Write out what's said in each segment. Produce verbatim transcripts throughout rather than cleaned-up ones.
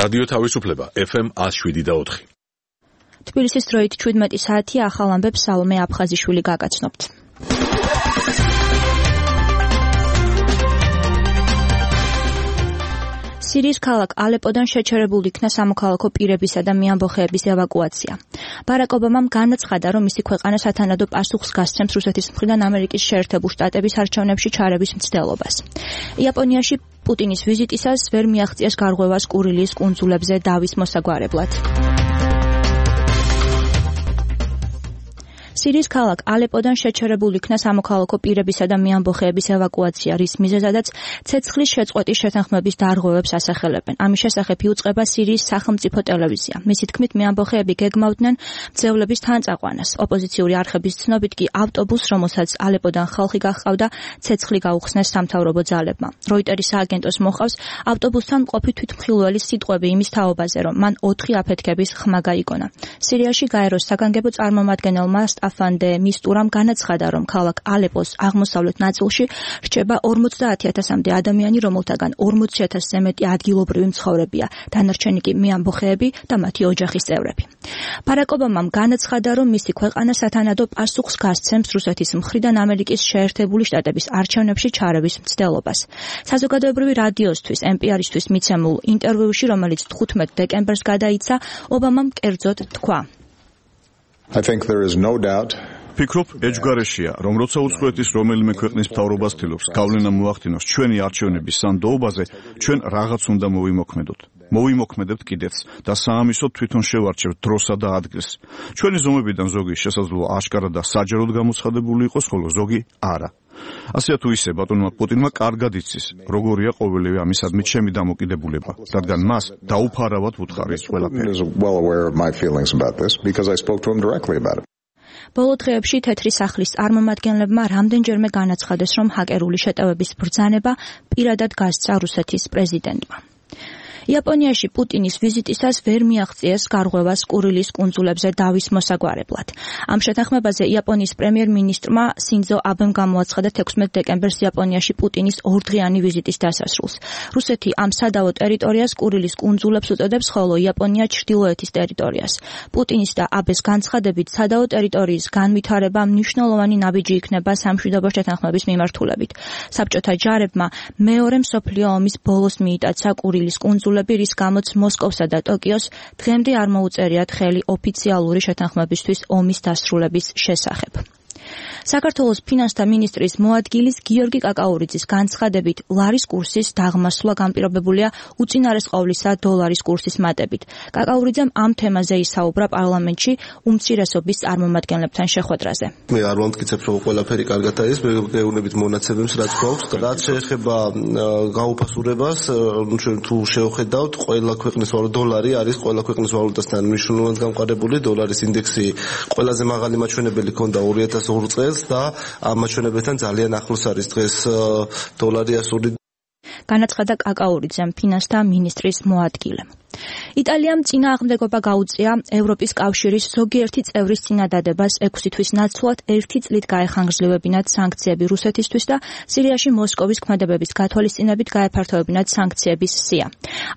რადიო თავისუფლება ეფ ემ ათს შვიდი და ოთხი. თბილისის დროით შვიდმეტი საათი ახალ ამბებს სალომე აფხაზიშვილი გაგაცნობთ. სირიის ქალაქ ალეპოდან შეჩერებულ იქნა სამოქალაქო პირებისა და მეამბოხეების ევაკუაცია. ბარაკ ობამამ განაცხადა, რომ მისი ქვეყანა სათანადო პასუხს გასცემს რუსეთის მხრიდან ამერიკის შეერთებულ შტატების არჩევნებში ჩარევის მცდელობას. იაპონიაში პუტინის ვიზიტისას ვერ მიაღწიეს გარღვევას კურილის კუნძულებზე დავის მოსაგვარებლად. სირიის ქალაქ ალეპოდან შეჩერებულ იქნა სამოქალაქო პირებისა და მეამბოხეების ევაკუაცია, რის მიზეზადაც ცეცხლის შეწყვეტის შეთანხმების დარღვევებს ასახელებენ. ამის შესახებ იუწყება სირიის სახელმწიფო ტელევიზია. მისი თქმით, მეამბოხეები გეგმავდნენ მძევლების თანწაყვანას. ოპოზიციური არხების ცნობით კი ავტობუსს, რომელსაც ალეპოდან ხალხი გაჰყავდა, ცეცხლი გაუხსნეს სამთავრობო ძალებმა. როიტერის სააგენტოს მოხავს, ავტობუსთან მყოფი თვითმხილველის სიტყვები იმის თაობაზე, რომ მან ოთხი აფეთქების ხმა გაიგონა. სირიაში გაეროს საგანგებო წარმომადგენელმა აფანდე მისტურამ განაცხადა, რომ ქალაქ ალეპოს აღმოსავლეთ ნაწილში რჩება ორმოცდაათი ათასამდე ადამიანი, რომელთაგან ორმოცი ათასზე მეტი ადგილობრივი მცხოვრებია, დანარჩენი კი მეამბოხეები და მათი ოჯახის წევრები. ბარაკ ობამამ განაცხადა, რომ მისი ქვეყანა სათანადო პასუხს გასცემს რუსეთის მხრიდან ამერიკის შეერთებული შტატების არჩევნებში ჩარევის მცდელობას. საზოგადოებრივი რადიოსთვის ენ პი არ-ისთვის მიცემულ ინტერვიუში, რომელიც თხუთმეტ დეკემბერს გადაიცა, ობამამ კერძოდ თქვა: I think there is no doubt. ფიქრობ, ეჯგარეშია, რომ როცა უცხოეთის რომელიმე ქვეყნის მთავრობას ცდილობს გავლენა მოახდინოს ჩვენი არჩევნების სანდოობაზე, ჩვენ რაღაც უნდა მოვიმოქმედოთ. მოვიმოქმედებთ კიდეც და საამისოდ თვითონ შევარჩევთ დროსა და ადგილს. ჩვენი ზომებიდან ზოგი შესაძლოა აშკარა და საჯაროდ გამოცხადებული იყოს, ხოლო ზოგი არა. ასე თუ ისე ბატონმა პუტინმა კარგად იცის, როგორია ყოველივე ამისადმი ჩემი დამოკიდებულება, რადგან მას დაუფარავად ვუთხარი ეს ყველაფერი. ბოლო დღეებში თეთრი სახლის წარმომადგენლებმა რამდენჯერმე განაცხადეს, რომ ჰაკერული შეტევების ბრძანება პირადად გასცა რუსეთის პრეზიდენტმა. იაპონიაში პუტინის ვიზიტისას ვერ მიაღწიეს გარღვევას კურილის კუნძულებზე დავის მოსაგვარებლად. ამ შეთანხმებაზე იაპონიის პრემიერ-მინისტრმა სინძო აბემ გამოაცხადა თექვსმეტ დეკემბერს იაპონიაში პუტინის ორდღიანი ვიზიტის დასასრულს. რუსეთი ამ სადავო ტერიტორიას კურილის კუნძულებს უწოდებს, ხოლო იაპონია ჩრდილოეთის ტერიტორიას. პუტინის და აბეს განცხადებით სადავო ტერიტორიის განვითარება მნიშვნელოვანი ნაბიჯი იქნება სამშვიდობო შეთანხმების მიმართულებით. საბჭოთა ჯარებმა მეორე მსოფლიო ომის ბოლოს მიიტაცა კურილის კუნძულები, რის გამოც მოსკოვსა და ტოკიოს დღემდე არ მოუწერიათ ხელი ოფიციალური შეთანხმებისთვის ომის დასრულების შესახებ. საქართველოს ფინანსთა მინისტრის მოადგილის გიორგი კაკაურიძის განცხადებით, ლარის კურსის დაღმასვლა განპირობებულია უწინარეს ყოვლისა დოლარის კურსის მატებით. კაკაურიძემ ამ თემაზე ისაუბრა პარლამენტში უმცირესობის წარმომადგენლებთან შეხვედრაზე. მე არ ვამტკიცებ, რომ ყველაფერი კარგად არის, მე გეუბნებით მონაცემებს, რაც გვაქვს. რაც შეეხება გაუფასურებას, ჩვენ თუ შევხედავთ, ყველა ქვეყნის ვალუტა დოლარი არის ყველა ქვეყნის ვალუტასთან მნიშვნელოვნად გამყარებული. დოლარის ინდექსი ყველაზე მაღალი მაჩვენებელი ჰქონდა ორი ათას ორ წელს და ამ მაჩვენებელთან ძალიან ახლოს არის დღეს დოლარი ასული. განაცხადა კაკაურიძემ, ფინანსთა მინისტრის მოადგილემ. იტალიამ წინააღმდეგობა გაუწია ევროპის კავშირის ზოგიერთი წევრის წინადადებას ექვსი თვის ნაცვლად ერთი წლით გაეხანგრძლივებინათ სანქციები რუსეთისთვის და სირიაში მოსკოვის ქმედებების გათვალისწინებით გაეფართოებინათ სანქციების სია.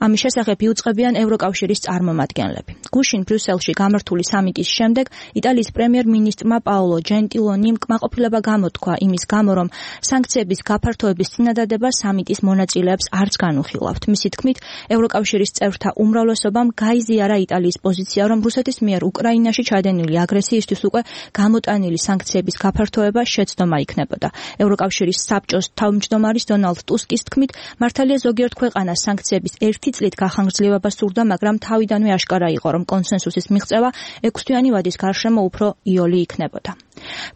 ამის შესახებ იუწყებიან ევროკავშირის წარმომადგენლები. გუშინ ბრიუსელში გამართული სამიტის შემდეგ იტალიის პრემიერ-მინისტრმა პაოლო ჯენტილონიმ კმაყოფილება გამოთქვა იმის გამო, რომ სანქციების გაფართოების წინადადება სამიტის მონაწილეებს არც განუხილავთ. მისი თქმით, ევროკავშირის წევრთა უმრავლესობამ გაიზიარა იტალიის პოზიცია, რომ რუსეთის მიერ უკრაინაში ჩადენილი აგრესიისთვის უკვე გამოტანილი სანქციების გაფართოება შეცდომა იქნებოდა. ევროკავშირის საბჭოს თავმჯდომარის დონალდ ტუსკის თქმით, მართალია ზოგიერთ ქვეყანას სანქციების ერთი წლით გახანგრძლივება სურდა, მაგრამ თავიდანვე აშკარა იყო, რომ კონსენსუსის მიღწევა ექვსთვიანი ვადის გარშემო უფრო იოლი იქნებოდა.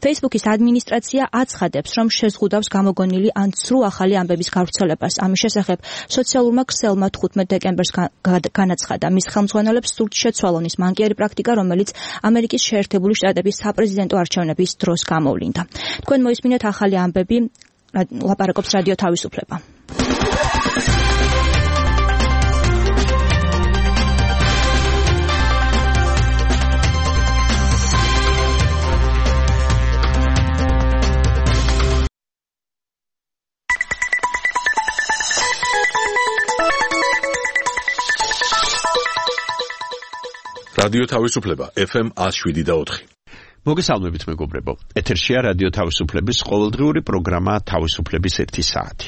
Facebook-ის ადმინისტრაცია აცხადებს, რომ შეზღუდავს გამოგონილი ან ცრუ ახალი ამბების გავრცელებას. ამის შესახებ სოციალურმა ქსელმა თხუთმეტ დეკემბერს განაცხადა, მის ხელმძღვანელებს სურთ შეცვალონ ის მანკიერი პრაქტიკა, რომელიც ამერიკის შეერთებული შტატების საპრეზიდენტო არჩევნების დროს გამოვლინდა. თქვენ მოისმინეთ ახალი ამბები, ლაპარაკობს რადიო თავისუფლება. რადიო თავისუფლება ეფ ემ one oh seven point four. მოგესალმებით მეგობრებო. ეთერშია რადიო თავისუფლების ყოველდღიური პროგრამა თავისუფლების ერთი საათი.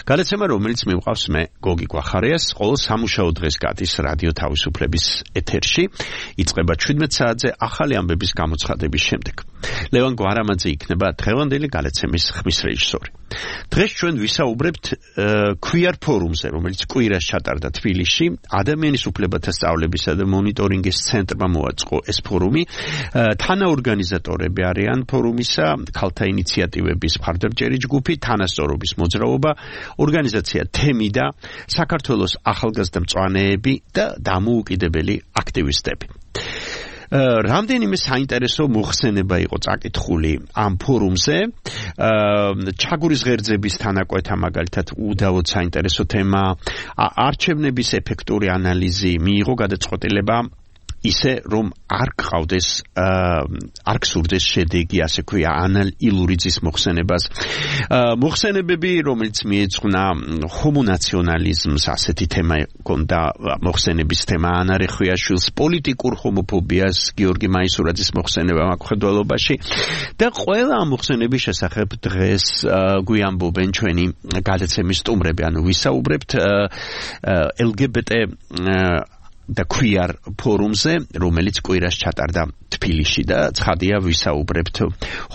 გადაცემა, რომელიც მივყავს მე, გოგი გვახარიას, ყოველ სამუშაო დღეს გადის რადიო თავისუფლების ეთერში. იწყება seventeen საათზე ახალი ამბების გამოცხადების შემდეგ. ლევან გვარამაძე იქნება დღევანდელი გადაცემის ხმის რეჟისორი. დღეს ჩვენ ვისაუბრებთ queer ფორუმზე, რომელიც კვირას ჩატარდა თბილისში. ადამიანის უფლებათა სწავლებისა და მონიტორინგის ცენტრმა მოაწყო ეს ფორუმი. თანაორგანიზატორები არიან ფორუმისა, ქალთა ინიციატივების მხარდამჭერი ჯგუფი, თანასწორობის მოძრაობა, ორგანიზაცია თემი და საქართველოს ახალგაზრდა მწვანეები და დამოუკიდებელი აქტივისტები. რამდენიმე საინტერესო მოხსენება იყო წაკითხული ამ ფორუმზე. ჩაგურის ღერძების თანაკვეთა მაგალითად უდავოდ საინტერესო თემა, არჩევნების ეფექტური ანალიზი, მიიღო გადაწყვეტილება ისე რომ არ გყავდეს არ გსურდეს შედეგი, ასე ქვია, ანალილურიძის მოხსენებას. მოხსენებები, რომელიც მიეძღვნა ჰომონაციონალიზმს, ასეთი თემა ჰქონდა მოხსენების თემა, ანა რეხვიაშვილს, პოლიტიკურ ჰომოფობიას, გიორგი მაისურაძის მოხსენება მაკხედველობაში და ყველა ამ მოხსენების შესახებ დღეს გვიამბობენ ჩვენი გადაცემის სტუმრები, ანუ ვისაუბრებთ ელ გი ბი ტი და queer ფორუმზე, რომელიც კვირას ჩატარდა თბილისში და ცხადია ვისაუბრებთ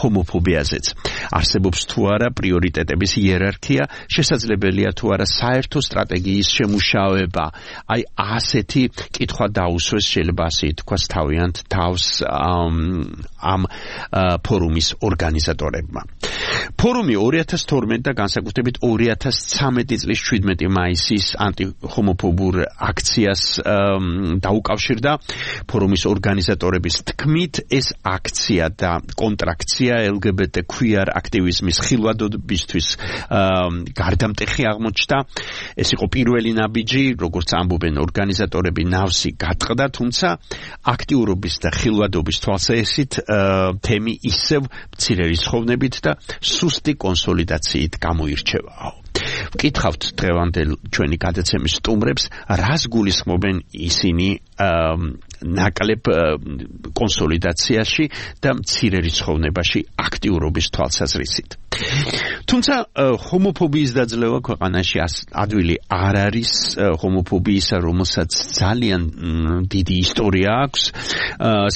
ჰომოფობიაზეც. არსებობს თუ არა პრიორიტეტების იერარქია, შესაძლებელია თუ არა საერთო სტრატეგიის შემუშავება. აი ასეთი კითხვა დაუსვეს, შეიძლება ასე ითქვას, თავიანთ თავს ამ ფორუმის ორგანიზატორებმა. ფორუმი two thousand twelve და განსაკუთრებით two thousand thirteen წლის seventeen მაისის ანტიჰომოფობურ აქციას დაუკავშირდა. ფორუმის ორგანიზატორების თქმით, ეს აქცია და კონტრაქცია ელ გი ბი ტი queer აქტივიზმის ხილვადობისთვის გარდამტეხი აღმოჩნდა. ეს იყო პირველი ნაბიჯი, როგორც ამბობენ ორგანიზატორები, ნავსი გატყდა, თუმცა აქტიურობის და ხილვადობის თვალსაჩინით თემი ისევ მცირე რისხოვნებით და სუსტი კონსოლიდაციით გამოირჩევა. ვკითხავთ დღევანდელ ჩვენი გადაცემის სტუმრებს, რას გულისხმობენ ისინი ნაკლებ კონსოლიდაციაში და მცირე რისხოვნებაში აქტიურობის თვალსაზრისით. თუმცა ჰომოფობიის დაძლევა ქვეყანაში ადვილი არ არის, ჰომოფობიისა, რომელსაც ძალიან დიდი ისტორია აქვს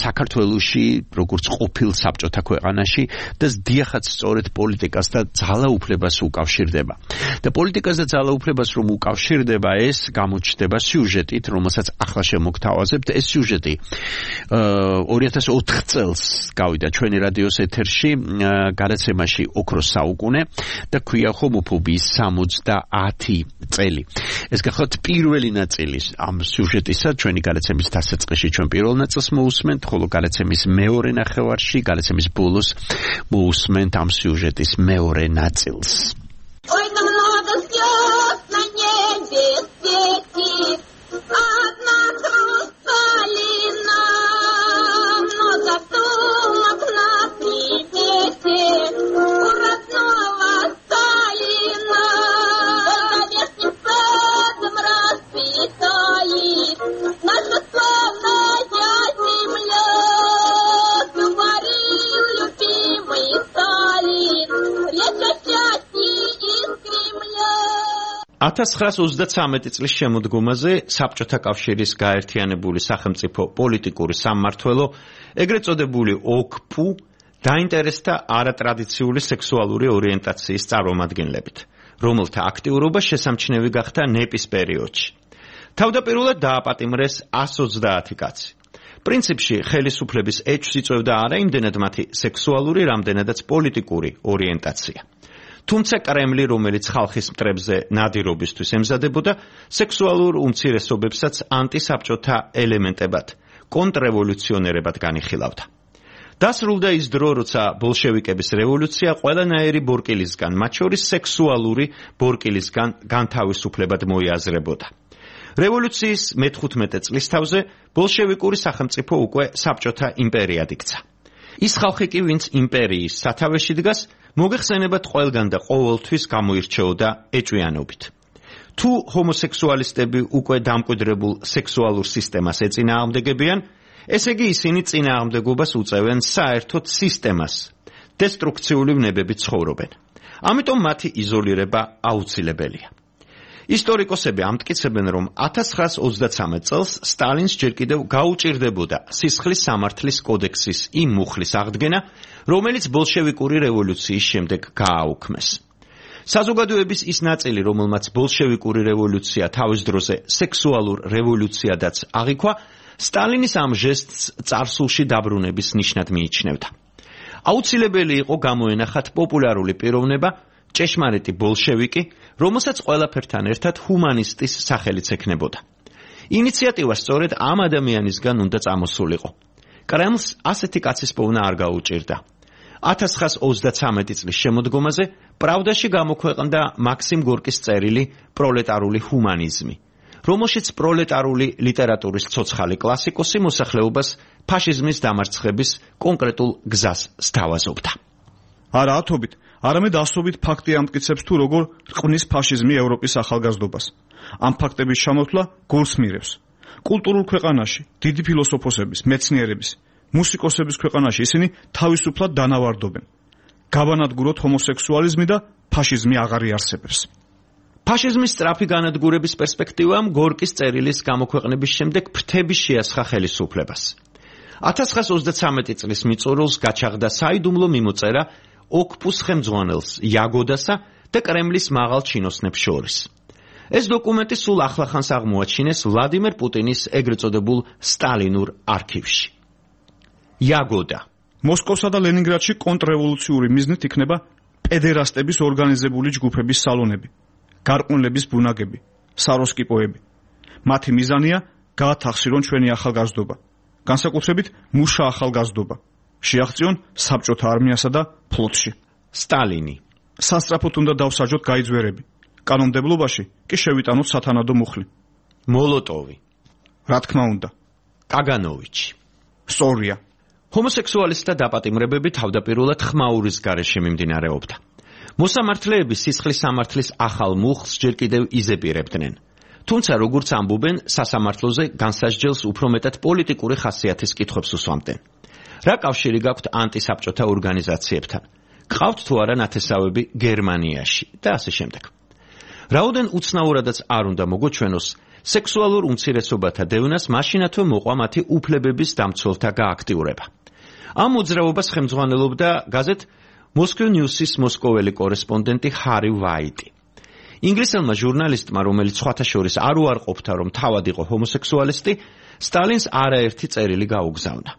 საქართველოში, როგორც ყოფილ საბჭოთა ქვეყანაში და დიახაც სწორედ პოლიტიკას და ძალაუფლებას უკავშირდება. და პოლიტიკას და ძალაუფლებას რომ უკავშირდება, ეს გამოჩნდება სიუჟეტით, რომელსაც ახლა შემოგთავაზებთ. ეს სიუჟეტი two thousand four წელს გავიდა ჩვენი რადიოს ეთერში გადაცემაში ოქროს საუკუნე და ქვია ჰომოფობიის sixty წელი. ეს გახლავთ პირველი ნაწილი ამ სიუჟეტისა, ჩვენი გადაცემის დასაწყისში ჩვენ პირველ ნაწილს მოусმენთ, ხოლო გადაცემის მეორე ნახევარში, გადაცემის ბოლოს მოусმენთ ამ сюжетის მეორე ნაწილს. Ой, там много звезд на небе светит, одна хрусталина, много сумок на примете у родного Сталина. Только вешним садом расцветает наша славная земля, говорил любимый Сталин, речь о счастье из Кремля. nineteen twenty-three წლის შემოდგომაზე საბჭოთა კავშირის გაერთიანებული სახელმწიფო პოლიტიკური სამმართველო, ეგრეთ წოდებული ოკ-პუ, დაინტერესდა არატრადიციული სექსუალური ორიენტაციის წარმომადგენლებით, რომელთა აქტიურობა შესამჩნევი გახდა ნეპის პერიოდში. თავდაპირველად დააპატიმრეს one hundred twenty კაცი. პრინციპში ხელისუფლების ეჭვს იწვევდა არა იმდენად მათი სექსუალური, რამდენადაც პოლიტიკური ორიენტაცია. თუმცა კრემლი, რომელიც ხალხის მტრებზე ნადირობისთვის ემზადებოდა, სექსუალურ უმცირესობებსაც ანტისაბჭოთა ელემენტებად, კონტრრევოლუციონერებად განიხილავდა. დასრულდა ის დრო, როცა ბოლშევიკების რევოლუცია ყველანაირი ბორკილისგან, მათ შორის სექსუალური ბორკილისგან განთავისუფლებად მოიაზრებოდა. რევოლუციის მე-თხუთმეტე წლის თავზე ბოლშევიკური სახელმწიფო უკვე საბჭოთა იმპერიად იქცა. ის ხალხი კი, ვინც იმპერიის სათავეში დგას, მოგეხსენებათ ყველგან და ყოველთვის გამოირჩეოდა ეჭვიანობით. თუ ჰომოსექსუალისტები უკვე დამკვიდრებულ სექსუალურ სისტემას ეწინააღმდეგებიან, ესე იგი ისინი წინააღმდეგობას უწევენ საერთოდ სისტემას, დესტრუქციული ვნებებით ცხოვრობენ. ამიტომ მათი იზოლირება აუცილებელია. ისტორიკოსები ამტკიცებენ, რომ ათას ცხრაას ოცდაცამეტ წელს სტალინს ჯერ კიდევ გაუჭირდებოდა სისხლის სამართლის კოდექსის იმ მუხლის აღდგენა, რომელიც ბოლშევიკური რევოლუციის შემდეგ გააუქმეს. საზოგადოების ის ნაწილი, რომელმაც ბოლშევიკური რევოლუცია თავის დროზე სექსუალურ რევოლუციადაც აღიქვა, სტალინის ამ ჟესტს წარსულში დაბრუნების ნიშნად მიიჩნევდა. აუცილებელი იყო გამოენახათ პოპულარული პიროვნება, ჭეშმარიტი ბოლშევიკი, რომელსაც ყველაფერთან ერთად ჰუმანისტის სახელიც ექნებოდა. ინიციატივა სწორედ ამ ადამიანისგან უნდა წამოსულიყო. კრემლს ასეთი კაცის პოვნა არ გაუჭირდა. ათას ცხრაას ოცდაცამეტი წლის შემოდგომაზე პრავდაში გამოქვეყნდა მაქსიმ გორკის წერილი პროლეტარული ჰუმანიზმი, რომელშიც პროლეტარული ლიტერატურის ცოცხალი კლასიკოსი მოსახლეობას ფაშიზმის დამარცხების კონკრეტულ გზას სთავაზობდა. არა ათობით, არამედ ასობით ფაქტი ამტკიცებს თუ როგორ რყმის ფაშიზმი ევროპის ახალგაზრდობას. ამ ფაქტების ჩამოთვლა გულს მირევს. კულტურულ ქვეყანაში, დიდი ფილოსოფოსების, მეცნიერების, მუსიკოსების ქვეყანაში ისინი თავისუფლად დანავარდობენ. გავანადგუროთ ჰომოსექსუალიზმი და ფაშიზმი აღარ იარსებებს. ფაშიზმის სწრაფი განადგურების პერსპექტივამ გორკის წერილის გამოქვეყნების შემდეგ ფრთები შეასხა ხელისუფლებას. ათას ცხრაას ოცდაცამეტი წლის მიწურულს გაჩაღდა საიდუმლო მიმოწერა ოკპუს ხელმძღვანელს იაგოდასა და კრემლის მაღალ ჩინოსნებს შორის. ეს დოკუმენტი სულ ახლახანს აღმოაჩინეს ვლადიმერ პუტინის ეგრეთ წოდებულ სტალინურ არქივში. იაგოდა მოსკოვსა და ლენინგრადში კონტრრევოლუციური მიზნით იქნება პედერასტების ორგანიზებული ჯგუფების სალონები, გარყვნილების ბუნაგები, საროსკიპოები. მათი მიზანია გაათახსირონ ჩვენი ახალგაზრდობა, განსაკუთრებით მუშა ახალგაზრდობა, შეაღწიონ საბჭოთა არმიასა და ფლოტში. სტალინი სასწრაფოდ უნდა დავსაჯოთ გაიძვერები, კანონმდებლობაში კი შევიტანოთ სათანადო მუხლი. მოლოტოვი რა თქმა უნდა, კაგანოვიჩი სწორია. ჰომოსექსუალისტთა დაპატიმრებები თავდაპირველად ხმაურის გარეშე მიმდინარეობდა. მოსამართლეები სისხლის სამართლის ახალ მუხლს ჯერ კიდევ იზეპირებდნენ. თუმცა როგორც ამბობენ, სასამართლოზე განსასჯელს უფრო მეტად პოლიტიკური ხასიათის კითხვებს უსვამდნენ. რა კავშირი გაქვთ ანტისაბჭოთა ორგანიზაციებთან? გყავთ თუ არა ნათესავები გერმანიაში და ასე შემდეგ. რაოდენ უცნაურადაც არ უნდა მოგოჩვენოს, სექსუალურ უმცირესობათა დევნას მაშინათვე მოყვა მათი უფლებების დამცველთა გააქტიურება. ამ მოძრაობას ხელმძღვანელობდა გაზეთ Moscow News-ის მოსკოველი კორესპონდენტი ჰარი ვაიტი. ინგლისელმა ჟურნალისტმა, რომელიც სხვათა შორის არ უარყოფდა, რომ თავად იყო ჰომოსექსუალისტი, სტალინს არაერთი წერილი გაუგზავნა.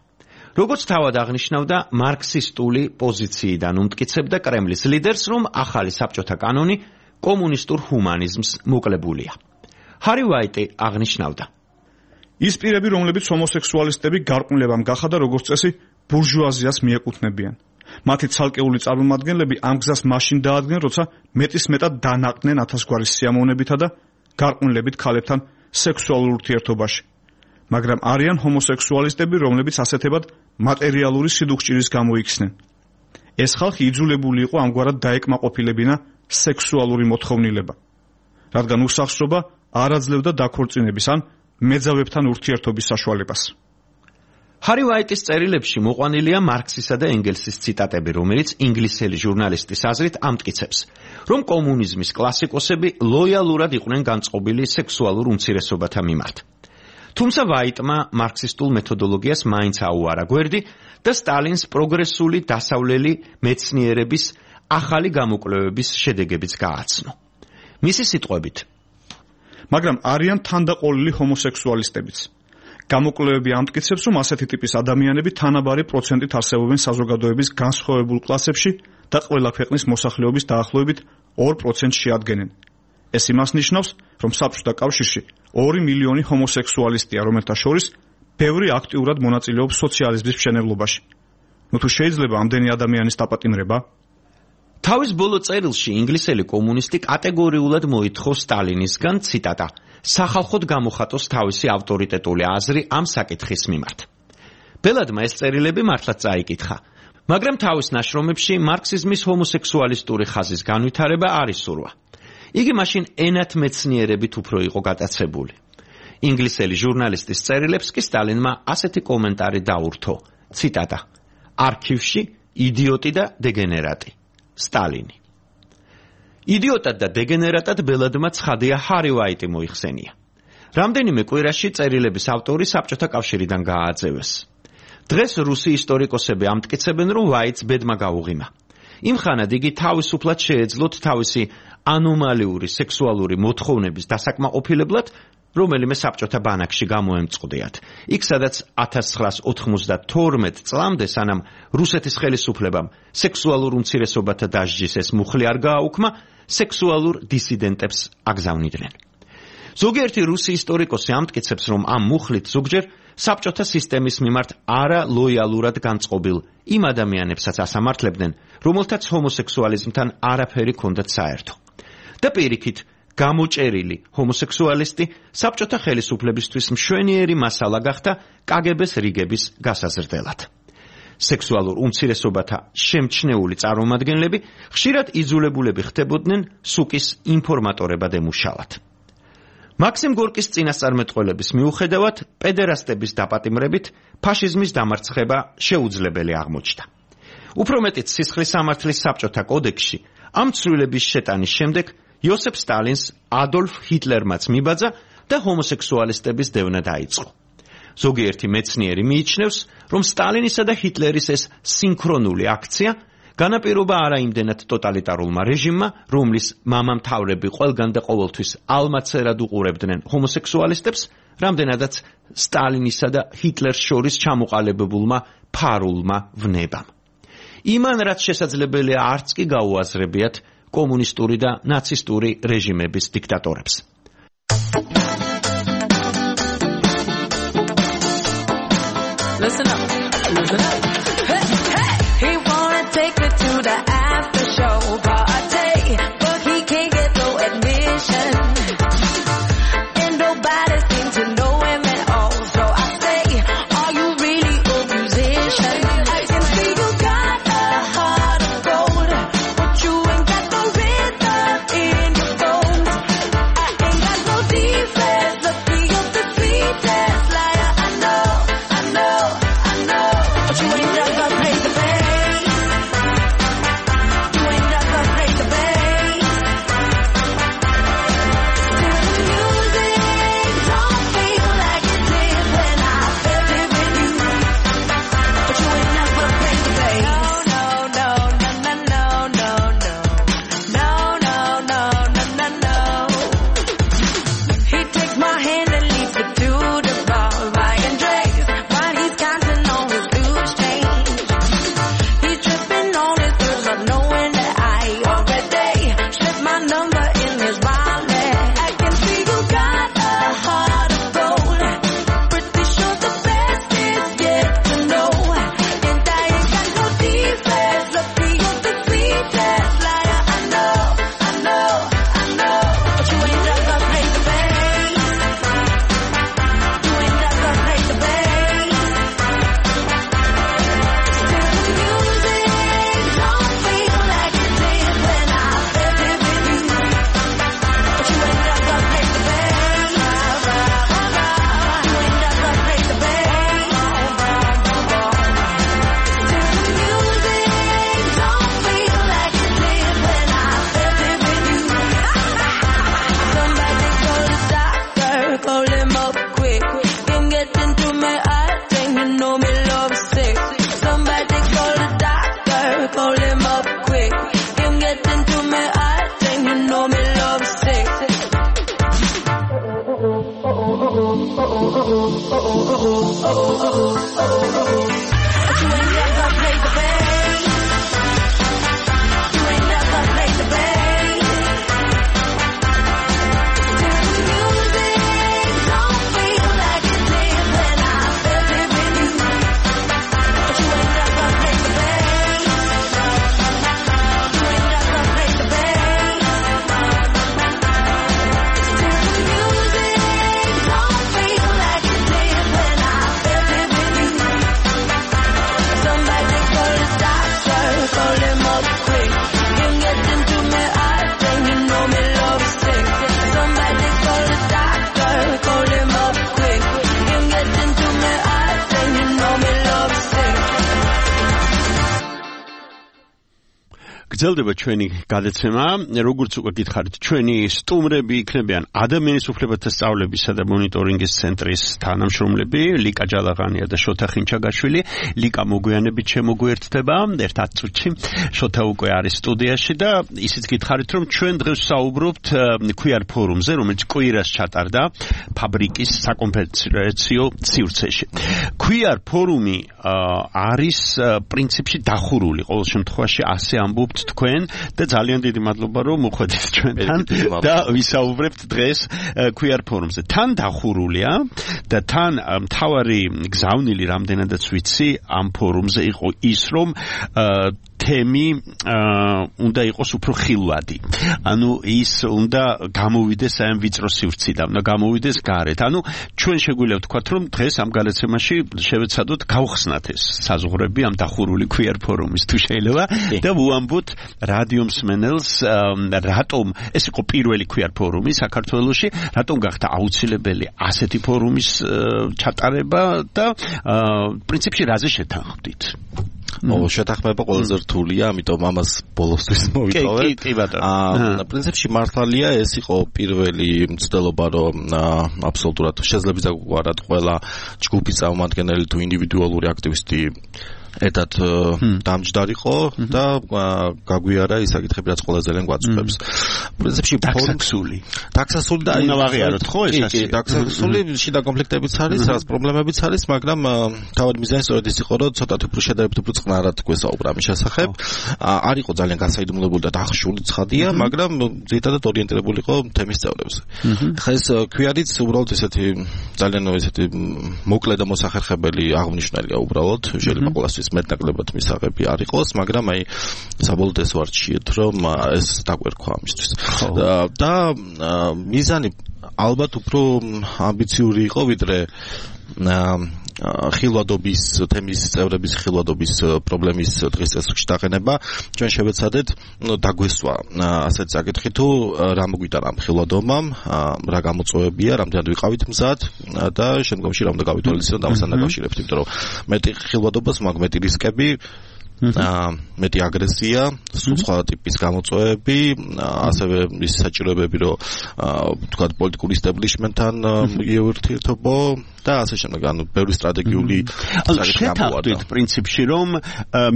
როგორც თავად აღნიშნავდა, მარქსისტული პოზიციიდან უმტკიცებდა კრემლის ლიდერს, რომ ახალი საბჭოთა კანონი კომუნისტურ ჰუმანიზმს მოკლებულია. ჰარი ვაიტი აღნიშნავდა: ის პირები, რომლებიც ჰომოსექსუალისტები გარყვნილებამ გახადა, როგორც წესი, ბურჟუაზიას მიეკუთვნებიან. მათი ცალკეული წარმომადგენლები ამ გზას მაშინ დაადგნენ, როცა მეტის მეტად დანაყდნენ ათასგვარი სიამოვნებითა და გარყვნილებით ქალებთან სექსუალურ ურთიერთობაში. მაგრამ არიან ჰომოსექსუალისტები, რომლებიც ასეთებად მატერიალური სიდუხჭირის გამო იქცნენ. ეს ხალხი იძულებული იყო ამგვარად დაეკმაყოფილებინა სექსუალური მოთხოვნილება, რადგან უსახსრობა არ აძლევდა დაქორწინების ან მეძავებთან ურთიერთობის საშუალებას. ჰარი ვაიტის წერილებში მოყვანილია მარქსისა და ენგელსის ციტატები, რომელიც ინგლისელი ჟურნალისტის აზრით ამტკიცებს, რომ კომუნიზმის კლასიკოსები ლოიალურად იყვნენ განწყობილი სექსუალურ უმცირესობათა მიმართ. თუმცა ვაიტმა მარქსისტულ მეთოდოლოგიას მაინც აუარა გვერდი და სტალინს პროგრესული დასავლელი მეცნიერების ახალი გამოკვლევების შედეგებიც გააცნო. მისი სიტყვებით, მაგრამ არიან თანდაყოლილი ჰომოსექსუალისტებიც. გამოკვლევები ამტკიცებს, რომ ასეთი ტიპის ადამიანები თანაბარი პროცენტით არსებობენ საზოგადოების განსხვავებულ კლასებში და ყველა ქვეყნის მოსახლეობის დაახლოებით ორ პროცენტს შეადგენენ. ეს იმას ნიშნავს, რომ საბჭოთა კავშირში ორი მილიონი ჰომოსექსუალისტია, რომელთა შორის ბევრი აქტიურად მონაწილეობს სოციალიზმის მშენებლობაში. ნუ თუ შეიძლება ამდენი ადამიანის დაპატიმრება? თავის ბოლო წერილში ინგლისელი კომუნისტი კატეგორიულად მოითხოვ სტალინისგან, ციტატა, სახალხოდ გამოხატოს თავისი ავტორიტეტული აზრი ამ საკითხის მიმართ. ბელადმა ეს წერილები მართლაც წაიკითხა, მაგრამ თავის ნაშრომებში მარქსიზმის ჰომოსექსუალისტური ხაზის განვითარება არ ისურვა. იგი მაშინ ენათმეცნიერებით უფრო იყო გატაცებული. ინგლისელი ჟურნალისტის წერილებს კი სტალინმა ასეთი კომენტარი დაურთო. ციტატა: არქივში იდიოტი და დეგენერატი. სტალინი. იდიოტად და დეგენერატად ბელადმა ცხადია ჰარი ვაიტი მოიხსენია. რამდენიმე კვირაში წერილების ავტორი საბჭოთა კავშირიდან გააძევეს. დღეს რუსი ისტორიკოსები ამტკიცებენ, რომ ვაიტს ბედმა გაუღიმა. იმ ხანად იგი თავისუფლად შეეძლოთ თავისი ანომალიური სექსუალური მოთხოვნების დასაკმაყოფილებლად რომელიმე საბჭოთა ბანაკში გამოემწყდიათ. იქ სადაც ათას ცხრაას ოთხმოცდათორმეტ წლამდე, სანამ რუსეთის ხელისუფლებამ სექსუალურ უმცირესობათა დასჯის ეს მუხლი არ გააუქმა, სექსუალურ დისიდენტებს აგზავნიდნენ. ზოგიერთი რუსი ისტორიკოსი ამტკიცებს, რომ ამ მუხლით ზოგჯერ საბჭოთა სისტემის მიმართ არალოიალურად განწყობილ იმ ადამიანებსაც ასამართლებდნენ, რომელთაც ჰომოსექსუალიზმთან არაფერი ჰქონდათ საერთო. და პირიქით, გამოჭერილი ჰომოსექსუალისტი საბჭოთა ხელისუფლებისთვის მშვენიერი მასალა გახდა კაგებეს რიგების გასაზრდელად. სექსუალურ უმცირესობათა შემჩნეული წარმომადგენლები ხშირად იძულებულები ხდებოდნენ სუკის ინფორმატორებად ემუშავათ. მაქსიმ გორკის წინასწარმეტყველების მიუხედავად, პედერასტების დაპატიმრებით ფაშიზმის დამარცხება შეუძლებელი აღმოჩნდა. უფრო მეტიც სისხლის სამართლის საბჭოთა კოდექსში ამ ცვლილების შეტანის შემდეგ იოსებ სტალინს ადოლფ ჰიტლერმაც მიბაძა და ჰომოსექსუალისტების დევნა დაიწყო. ზოგიერთი მეცნიერი მიიჩნევს, რომ სტალინისა და ჰიტლერის ეს სინქრონული აქცია განაპირობა არა იმდენად ტოტალიტარულმა რეჟიმმა, რომლის მამამთავრები ყველგან და ყოველთვის ალმაცერად უყურებდნენ ჰომოსექსუალისტებს, რამდენადაც სტალინისა და ჰიტლერს შორის ჩამოყალიბებულმა ფარულმა ვნებამ. იმან რაც შესაძლებელია არც კი გაუაზრებიათ კომუნისტური და ნაცისტური რეჟიმების დიქტატორებს. Listen up, listen up. Hey, hey. He wanna take me to the after show party, but he can't get no admission. And nobody seems to know him at all. So I say, are you really a musician? I can see you got a heart of gold, but you ain't got no rhythm in your bones. I ain't got no defense, look me up the sweetest liar I know, I know, I know. But you ain't got to pay the bass. You ain't got to pay the bass. Still the music don't feel like it did when I felt it with you. But you ain't got to pay the bass. No, no, no, no, no, no, no. No, no, no, no, no, no. He takes my hand and leads me to the bar, buying drinks while he's counting on his loose change. He's tripping on his girls, not knowing that I already slipped my number in his wallet. I can see you got a heart of gold. Pretty sure the best is yet to know. And I ain't got no defense. Look me up the sweetest liar I know, I know, I know. But you ain't got to pay the bass. You ain't got to pay the bass. Still the music don't feel like it did when I felt it with you. But you ain't got to pay the bass. You ain't got to pay the bass. Still the music don't feel like it did when I felt it with you. Somebody call the doctor, call him up quick. Can't get into me, I think you know me love sick. Somebody call the doctor, call him up quick. Can't get into me, I think you know me love sick. But you ain't got to pay the bass. You ain't got to pay the bass. Still the music don't feel like it did when I felt it with you. But you ain't got to pay the bass. You ain't got to pay the bass. Still the music don't feel like it did when I felt it with you. გრძელდება ჩვენი გადაცემა, როგორც უკვე გითხარით, ჩვენი სტუმრები იქნებიან ადამიანის უფლებათა სწავლებისა და მონიტორინგის ცენტრის თანამშრომლები, ლიკა ჯალაღანია და შოთა ხინჩაგაშვილი. ლიკა მოგვიანებით შემოგვიერთდება, ერთ ათ წუთში. შოთა უკვე არის სტუდიაში და ისიც გითხარით, რომ ჩვენ დღეს საუბრობთ ქუიარ ფორუმზე, რომელიც კვირას ჩატარდა ფაბრიკის საკონფერენციო სივრცეში. ქუიარ ფორუმი არის პრინციპში დახურული, ყოველ შემთხვევაში ასე ამბობთ თქვენ და ძალიან დიდი მადლობა რომ მოხვედით ჩვენთან და ვისაუბრებთ დღეს ქუიარ ფორუმზე. თან დახურულია და თან მთავარი გზავნილი რამდენადაც ვიცი ამ ფორუმზე იყო ის რომ თემი უნდა იყოს უფრო ხილვადი. ანუ ის უნდა გამოვიდეს ამ ვიწრო სივრციდან, და გამოვიდეს გარეთ. ანუ ჩვენ შეგვიძლია ვთქვათ, რომ დღეს ამ გადაცემაში შევეცადოთ გავხსნათ ეს საზღვრები ამ დახურული ქუიარ ფორუმის თუ შეიძლება და ვუამბოთ რადიო მსმენელს რატომ ეს იყო პირველი ქუიარ ფორუმი საქართველოში, რატომ გახდა აუცილებელი ასეთი ფორუმის ჩატარება და პრინციპში რაზე შეთანხმდით? ო შეთანხმება ყველაზე რთულია, ამიტომ ამას ბოლოსთვის მოვიტოვე. კი, კი ბატონო. აა პრინციპში მართალია ეს იყო პირველი მცდელობა, რომ აბსოლუტურად შეძლებიდა გვარად ყველა ჯგუფის წარმომადგენელი თუ ინდივიდუალური აქტივისტი ერთად დამჯდარიყო და გაგვიარა ის საკითხები, რაც ყველა ძალიან გვაწუხებს. პრინციპში ტაქსასული. ტაქსასული და უნდა ვაღიაროთ ხო ეს ასე? კი, ტაქსასული შიდა კონფლიქტებიც არის, რაც პრობლემებიც არის, მაგრამ თავად მიზანი სწორედ ის იყო, რომ ცოტათი უფრო შედარებით უფრო წყნარად გვესაუბრა ამის შესახებ. არ იყო ძალიან გასაიდუმლოებული და დახშული ცხადია, მაგრამ ძირითადად ორიენტირებული იყო თემის წევრებზე. ხა ეს ქუიარიც უბრალოდ ესეთი ძალიან ესეთი მოკლე და მოსახერხებელი აღნიშნულია უბრალოდ, შეიძლება ყოველთვის მეტნაკლებად მისაღები არ იყოს, მაგრამ აი საბოლოოდ ეს ვარჩიეთ, რომ ეს დაგვერქვა ამისთვის. და მიზანი ალბათ უფრო ამბიციური იყო, ვიდრე ხილვადობის თემის წევრების ხილვადობის პრობლემის დღის წესრიგში დაყენება. ჩვენ შევეცადეთ დაგვესვა ასეთ საკითხი, თუ რა მოგვიტან ამ ხილვადობამ, რა გამოწვევებია, რამდენად ვიყავით მზად და შემდგომში რა უნდა გავითვალისწინოთ ამასთან დაკავშირებით, იმიტომ რომ მეტი ხილვადობას მაქვს მეტი რისკები, მეტი აგრესია, სხვა ტიპის გამოწვევები, ასევე ის საჭიროებები, რომ თქვა პოლიტიკური ისტაბლიშმენტთან მიეურთიერთობო და ასე შემდეგ, ანუ ბევრი სტრატეგიული საკითხი შეთანხმდით პრინციპში, რომ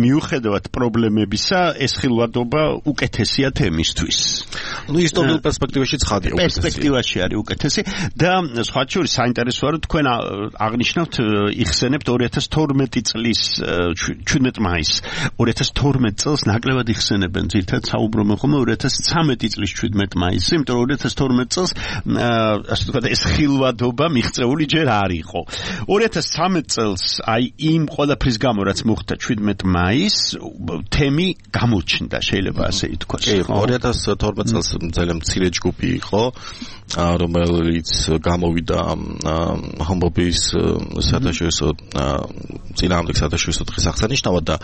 მიუხედავად პრობლემებისა, ეს ხილვადობა უკეთესია თემისთვის. ნუ ისტორიულ პერსპექტივაში ცხადია უკეთესი. პერსპექტივაში არის უკეთესი და სხვა შორის საინტერესოა, რომ თქვენ აღნიშნავთ, იხსენებთ ორი ათას თორმეტი წლის ჩვიდმეტი მაისს. ორი ათას თორმეტი წელს ნაკლებად იხსენებენ, ძირითადად საუბრობენ ხოლმე ორი ათას ცხრამეტი წლის ჩვიდმეტი მაისზე, იმიტომ რომ ორი ათას თორმეტი წელს ასე ვთქვათ, ეს ხილვადობა მიღწეული ჯერ არ იყო. ორი ათას ცხრამეტი წელს აი იმ ყველაფრის გამო, რაც მოხდა ჩვიდმეტი მაისს, თემი გამოჩნდა, შეიძლება ასე ითქვას. კი, ორი ათას თორმეტი წელს ძალიან მცირე ჯგუფი იყო, რომელიც გამოვიდა ჰომოფობიის საერთაშორისო წინააღმდეგ საერთაშორისო დღის აღსანიშნავად და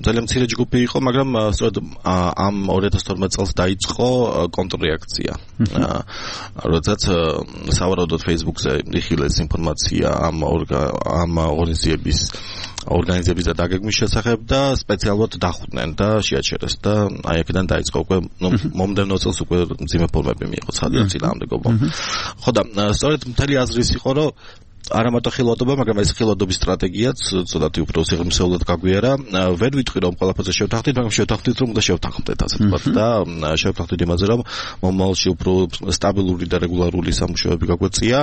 ძალიან მცირე ჯგუფი იყო, მაგრამ სწორედ ამ ორი ათას თორმეტი წელს დაიწყო კონტრრეაქცია. როდესაც სავარაუდოდ Facebook-ზე იხილეს ინფორმაცია ამ ამ ორგანიზების ორგანიზების და დაგეგმვის შესახებ და სპეციალურად დახვდნენ და შეაჩერეს და აი აქედან დაიწყო უკვე მომდევნო წელს უკვე მძიმე ფორმები მიიღო ცხადია წინააღმდეგობა. ხო და სწორედ მთელი აზრი ის იყო, რომ არა მარტო ხილვადობა, მაგრამ ეს ხილვადობის სტრატეგიაც ცოტათი უფრო სიღრმისეულად გაგვიარა. ვერ ვიტყვი რომ ყველაფერზე შევთანხმდით, მაგრამ შევთანხმდით რომ უნდა შევთანხმდეთ ასე ვთქვათ და შევთანხმდით იმაზე რომ მომავალში უფრო სტაბილური და რეგულარული სამუშაოები გაგვეწია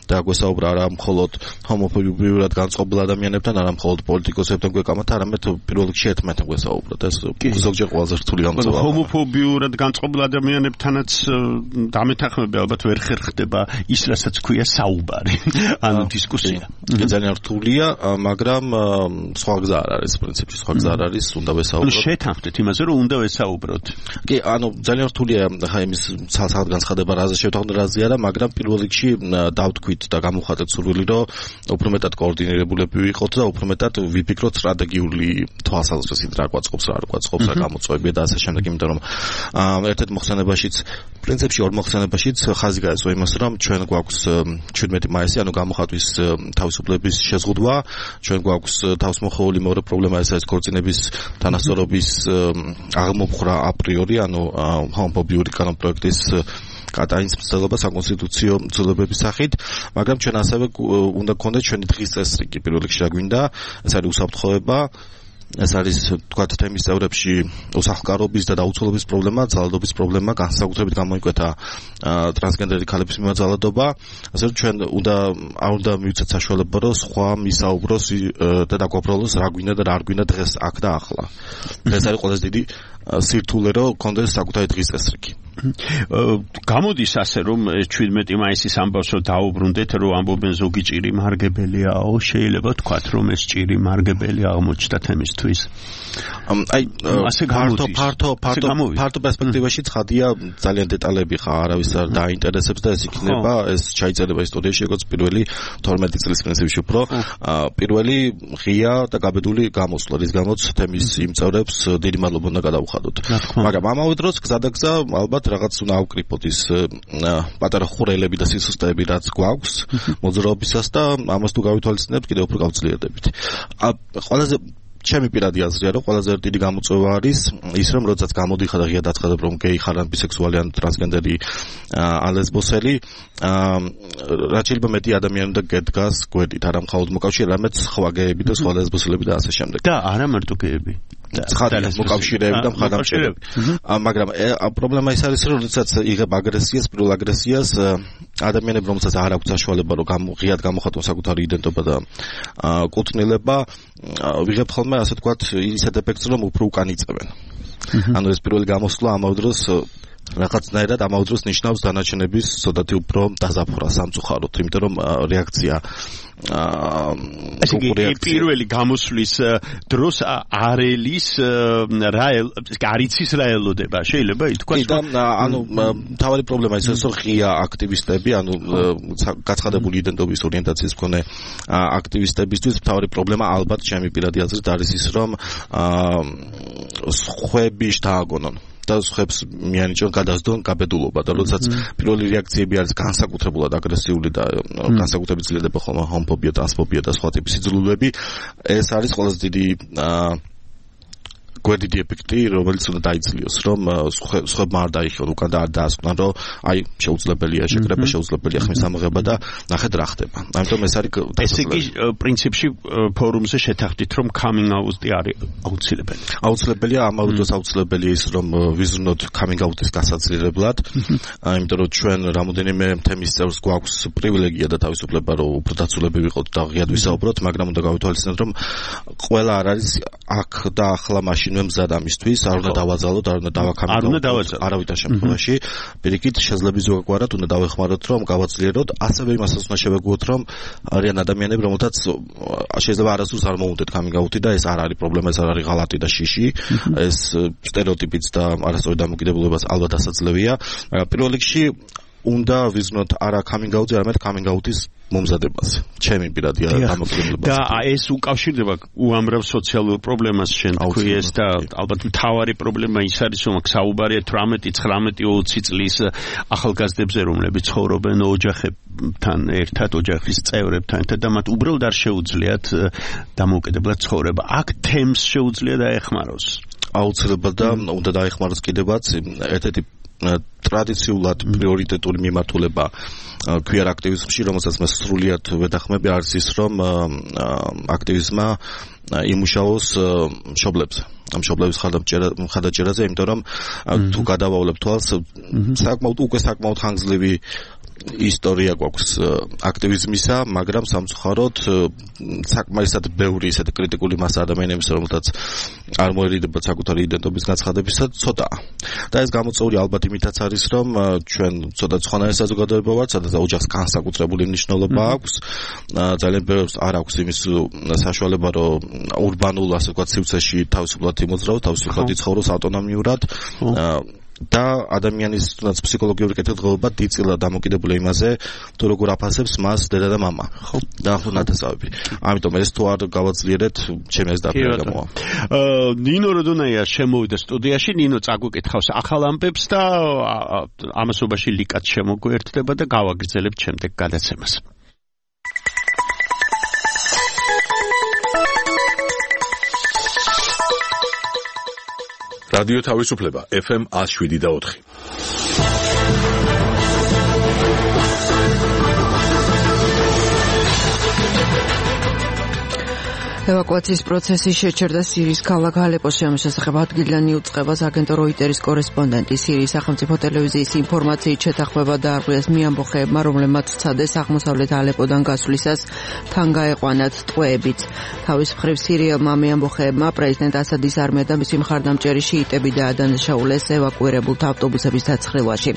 და გვესაუბრა არა მხოლოდ ჰომოფობიურად განწყობილ ადამიანებთან, არა მხოლოდ პოლიტიკოსებთან გვეკამათ, არამედ პირველ რიგში ერთმანეთთან გვესაუბროთ. ეს ზოგჯერ ყველაზე რთული გამოწვევა. ჰომოფობიურად განწყობილ ადამიანებთანაც დამეთანხმება ალბათ ვერ ხერხდება ის, რასაც ქვია საუბარი. ანუ დისკუსია. ძალიან რთულია, მაგრამ სხვა გზა არ არის პრინციპში, სხვა გზა არ არის, უნდა ვესაუბროთ. შეთანხმდით იმაზე, რომ უნდა ვესაუბროთ. კი, ანუ ძალიან რთულია ხა იმის ცალ-ცალ განცხადება, რაზე შევთანხმდით, რაზე არა, მაგრამ პირველ რიგში დავთქვით და გამოვხატეთ სურვილი, რომ უფრო მეტად კოორდინირებულები ვიყოთ და უფრო მეტად ვიფიქროთ სტრატეგიული თვალსაზრისით, რა გვაწყობს, რა არ გვაწყობს, რა გამოწვევებია და ასე შემდეგ, იმიტომ რომ ერთ-ერთ მოხსენებაშიც პრინციპში ორ მოხსენებაშიც ხაზი გაეცვა იმას, რომ ჩვენ გვაქვს შვიდმეტი მაისი, ანუ გამოხატვის თავისუფლების შეზღუდვა, ჩვენ გვაქვს თავისმოხეული მეორე პრობლემა ეს არის ქორწინების თანასწორობის აღმოფხრა აპრიორი, ანუ ჰომოფობიური კანონპროექტის კატანის მცდელობა საკონსტიტუციო ცვლილებების სახით, მაგრამ ჩვენ ასევე უნდა გქონდეს ჩვენი დღის წესრიგი, პირველ რიგში რა გვინდა, ეს არის უსაფრთხოება, ეს არის თქვათ თემის წევრებში უსახლკარობის და დაუცველობის პრობლემა, ძალადობის პრობლემა, განსაკუთრებით გამოიკვეთა ტრანსგენდერი ქალების მიმართ ძალადობა, ასე რომ ჩვენ უნდა არ უნდა მივცეთ საშუალება, რომ სხვა მისაუბროს და დაგვაბრალოს რა გვინდა და რა არ გვინდა დღეს აქ და ახლა. ეს არის ყველაზე დიდი სირთულე, რომ გქონდეს საკუთარი დღის წესრიგი. გამოდის ასე რომ შვიდმეტი მაისის ამბავსო დაუბრუნდეთ, რომ ამბობენ ზოგი ჭირი მარგებელიაო, შეიძლება თქვათ რომ ეს ჭირი მარგებელი აღმოჩნდა თემისთვის. აი ფართო ფართო ფართო ფართო პერსპექტივაში ცხადია ძალიან დეტალები ხა არავის არ დაინტერესებს და ეს იქნება ეს ჩაიწერება ისტორიაში როგორც პირველი თორმეტი წლის პრინციპში უფრო პირველი ღია და გაბედული გამოსვლა, რის გამოც თემის იმ წევრებს დიდი მადლობა უნდა გადავუხადოთ. მაგრამ ამავე დროს გზადაგზა ალბათ რაღაც უნდა ავკრიფოთ ის პატარა ხურელები და სისუსტეები რაც გვაქვს მოძრაობისას და ამას თუ გავითვალისწინებთ კიდევ უფრო გავძლიერდებით. ყველაზე ჩემი პირადი აზრია, რომ ყველაზე დიდი გამოწვევა არის ის, რომ როდესაც გამოდიხარ და ღია დაცხადებ, რომ გეი ხარ ან ბისექსუალი ან ტრანსგენდერი ან ლესბოსელი, რაც შეიძლება მეტი ადამიანი უნდა გედგას გვერდით, არა მხოლოდ მოკავშირე, არამედ სხვა გეები და სხვა ლესბოსელები და ასე შემდეგ. და არა მარტო გეები. ცხადია მოკავშირეები და მხარდამჭერები. მაგრამ პრობლემა ის არის, რომ როდესაც იღებ აგრესიას, პირველ აგრესიას ადამიანები, რომელსაც არ აქვს საშუალება, რომ ღიად გამოხატონ საკუთარი იდენტობა და კუთვნილება, ვიღებ ხოლმე ასე თქვათ ისეთ ეფექტს, რომ უფრო უკან იწევენ. ანუ ეს პირველი გამოსვლა ამავე დროს რაღაცნაირად ამავე დროს ნიშნავს დანარჩენების ცოტათი უფრო დაზაფხვრას სამწუხაროდ, იმიტომ რომ რეაქცია ესე იგი პირველი გამოსვლის დროს არელის რა არიცის რა ელოდება შეიძლება ითქვას რომ ანუ თავი პრობლემა ის რომ ღია აქტივისტები ანუ გაცხადებული იდენტობის ორიენტაციის მქონე აქტივისტებისთვის თავი პრობლემა ალბათ ჩემი პირადი აზრით არის ის რომ სხვები შთააგონონ და ხებს მიანიჭონ გადასდონ გაბედულობა და როდესაც პირველი რეაქციები არის განსაკუთრებულად აგრესიული და განსაკუთრებით ძლიერდება ხოლმე ჰომოფობია, ტრანსფობია და სხვა ტიპის სიძულვილები, ეს არის ყველაზე დიდი გვერდიდი ეფექტი, რომელიც უნდა დაიძლიოს, რომ სხვებმა არ დაიხიონ უკან და არ დაასკვნან, რომ აი შეუძლებელია შეკრება, შეუძლებელია ხმის ამოღება და ნახეთ რა ხდება. ამიტომ ეს არის ესე იგი პრინციპში ფორუმზე შეთანხმდით, რომ coming out-ი არის აუცილებელი. აუცილებელია, ამავე დროს აუცილებელია ის, რომ ვიზრუნოთ coming out-ის გასაძლიერებლად, იმიტომ რომ ჩვენ რამოდენიმე თემის წევრს გვაქვს პრივილეგია და თავისუფლება, რომ უფრო დაცულები ვიყოთ და ღიად ვისაუბროთ, მაგრამ უნდა გავითვალისწინოთ, რომ ყველა არ არის აქ და ახლა მაშინ მზად ამისთვის, არ უნდა დავაძალოთ, არ უნდა დავაქამილოთ არავითარ შემთხვევაში. პირიქით, შეძლებს ზოგადად უნდა დავეხმაროთ, რომ გავაძლიეროთ, ასევე იმასაც უნდა შევეგუოთ, რომ არიან ადამიანები, რომელთაც შეიძლება არასდროს არ მოუნდეთ coming out-ი და ეს არ არის პრობლემა, ეს არ არის ღალატი და შიში, ეს სტერეოტიპიც და არასწორი დამოკიდებულებას ალბათ ასაძლევია. მაგრამ პირველ რიგში უნდა ვიზნოთ არა coming out-ი, არამედ coming out-ის მომზადებას. ჩემი პირადი დამოკიდებულება. და ეს უკავშირდება უამრავ სოციალურ პრობლემას შენ თქვი ეს და ალბათ მთავარი პრობლემა ის არის, რომ აქ საუბარია თვრამეტი, ცხრამეტი, ოცი წლის ახალგაზრდებზე, რომლებიც ცხოვრობენ ოჯახებთან ერთად, ოჯახის წევრებთან ერთად და მათ უბრალოდ არ შეუძლიათ დამოუკიდებლად ცხოვრება. აქ თემს შეუძლია დაეხმაროს. აუცილებლად და უნდა დაეხმაროს კიდევაც ერთ-ერთი ტრადიციულად პრიორიტეტული მიმართულება queer აქტივიზმში, რომელსაც მე სრულიად ვეთანხმები, არის ის, რომ აქტივიზმა იმუშაოს მშობლებზე. ამ მშობლების მხარდაჭერაზე, იმიტომ რომ თუ გადავავლებ თვალს, საკმაოდ უკვე საკმაოდ ხანგრძლივი ისტორია გვაქვს აქტივიზმისა, მაგრამ სამწუხაროდ საკმარისად ბევრი ისეთი კრიტიკული მასა ადამიანების, რომელთაც არ მოერიდება საკუთარი იდენტობის გაცხადებისა, ცოტაა. და ეს გამოწვეული ალბათ იმითაც არის, რომ ჩვენ ცოტა სხვანაირი საზოგადოება ვართ, სადაც ოჯახს განსაკუთრებული მნიშვნელობა აქვს. ძალიან ბევრს არ აქვს იმის საშუალება, რომ урბანულ, ასე ვთქვათ, სივრცეში თავისუფლად იმოძრაოს, თავისუფლად იცხოვროს ავტონომიურად. და ადამიანის თუნდაც ფსიქოლოგიური კეთილდღეობა დიდწილად დამოკიდებულია იმაზე, თუ როგორ აფასებს მას დედა და მამა. ხო? და ახლა ნათესავები. ამიტომ ეს თუ არ გავაძლიერეთ, ჩემი ეს დაფერა გამოვა. აა ნინო როდონაია შემოვიდა სტუდიაში, ნინო წაგვიკითხავს ახალ ამბებს და ამასობაში ლიკაც შემოგვერდება და გავაგრძელებთ შემდეგ გადაცემას. რადიო თავისუფლება ეფ ემ one oh seven და four. ევაკუაციის პროცესი შეჩერდა სირიის ქალაქ ალეპოში. ამის შესახებ ადგილიდან იუწყებას აგენტო როიტერის კორესპონდენტი. სირიის სახელმწიფო ტელევიზიის ინფორმაციით შეთანხმება დაარღვიეს მიამბოხეებმა, რომლებმაც ცადეს აღმოსავლეთ ალეპოდან გასვლისას თან გაეყვანათ ტყვეებიც. თავის მხრივ სირიელმა მიამბოხეებმა პრეზიდენტ ასადის არმია და მისი მხარდამჭერი შიიტები დაადანაშაულეს ევაკუირებულთა ავტობუსების დაცხრილვაში.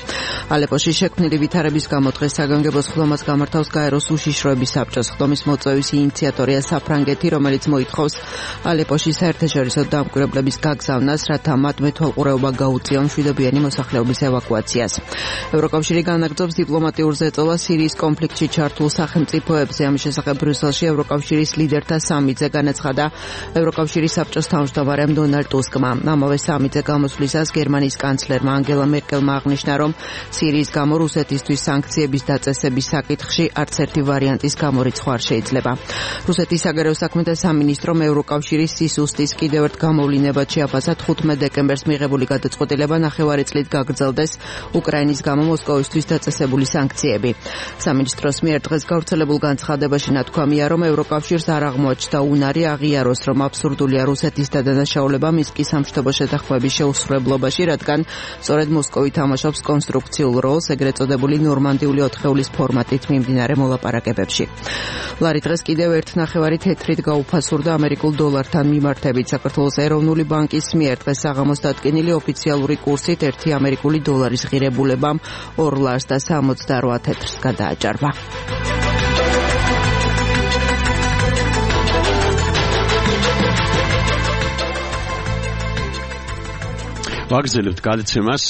ალეპოში შექმნილი ვითარების გამო დღეს საგანგებო სხდომას გამართავს გაეროს უშიშროების საბჭო. სხდომის მოწვევის ინიციატორია საფრანგეთი, რომელიც მოითხოვს ალეპოში საერთაშორისო დამკვირვებლების გაგზავნას, რათა მათ მეთვალყურეობა გაუწიონ მშვიდობიანი მოსახლეობის ევაკუაციას. ევროკავშირი განაგრძობს დიპლომატიურ ზეწოლას სირიის კონფლიქტში ჩართულ სახელმწიფოებზე. ამის შესახებ ბრიუსელში ევროკავშირის ლიდერთა სამიტზე განაცხადა ევროკავშირის საბჭოს თავმჯდომარემ დონალდ ტუსკმა. ამავე სამიტზე გამოსვლისას გერმანიის კანცლერმა ანგელა მერკელმა აღნიშნა, რომ სირიის გამო რუსეთისთვის სანქციების დაწესების საკითხში არც ერთი ვარიანტის გამორიცხვა არ შეიძლება. რუსეთის საგარეო საქმეთა სამინისტრომ ევროკავშირის სისუსტის კიდევ ერთ გამოვლინებად შეაფასა თხუთმეტ დეკემბერს მიღებული გადაწყვეტილება ნახევარი წლით გაგრძელდეს უკრაინის გამო მოსკოვისთვის დაწესებული სანქციები. სამინისტროს მიერ დღეს გავრცელებულ განცხადებაში ნათქვამია, რომ ევროკავშირს არ აღმოაჩნდა უნარი აღიაროს, რომ აბსურდულია რუსეთის დადანაშაულება მინსკის სამშვიდობო შეთანხმების შეუსრულებლობაში, რადგან სწორედ მოსკოვი თამაშობს კონსტრუქციულ როლს ეგრეთ წოდებული ნორმანდიული ოთხეულის ფორმატით მიმდინარე მოლაპარაკებებში. ლარი დღეს კიდევ ერთ ნახევარი თეთრით გაუფასურდა ამერიკულ დოლართან მიმართებით. საქართველოს ეროვნული ბანკის მიერ დღეს საღამოს დადგენილი ოფიციალური კურსით ერთი ამერიკული დოლარის ღირებულებამ ორ ლარს და სამოცდარვა თეთრს გადააჭარბა. ვაგრძელებთ გადაცემას.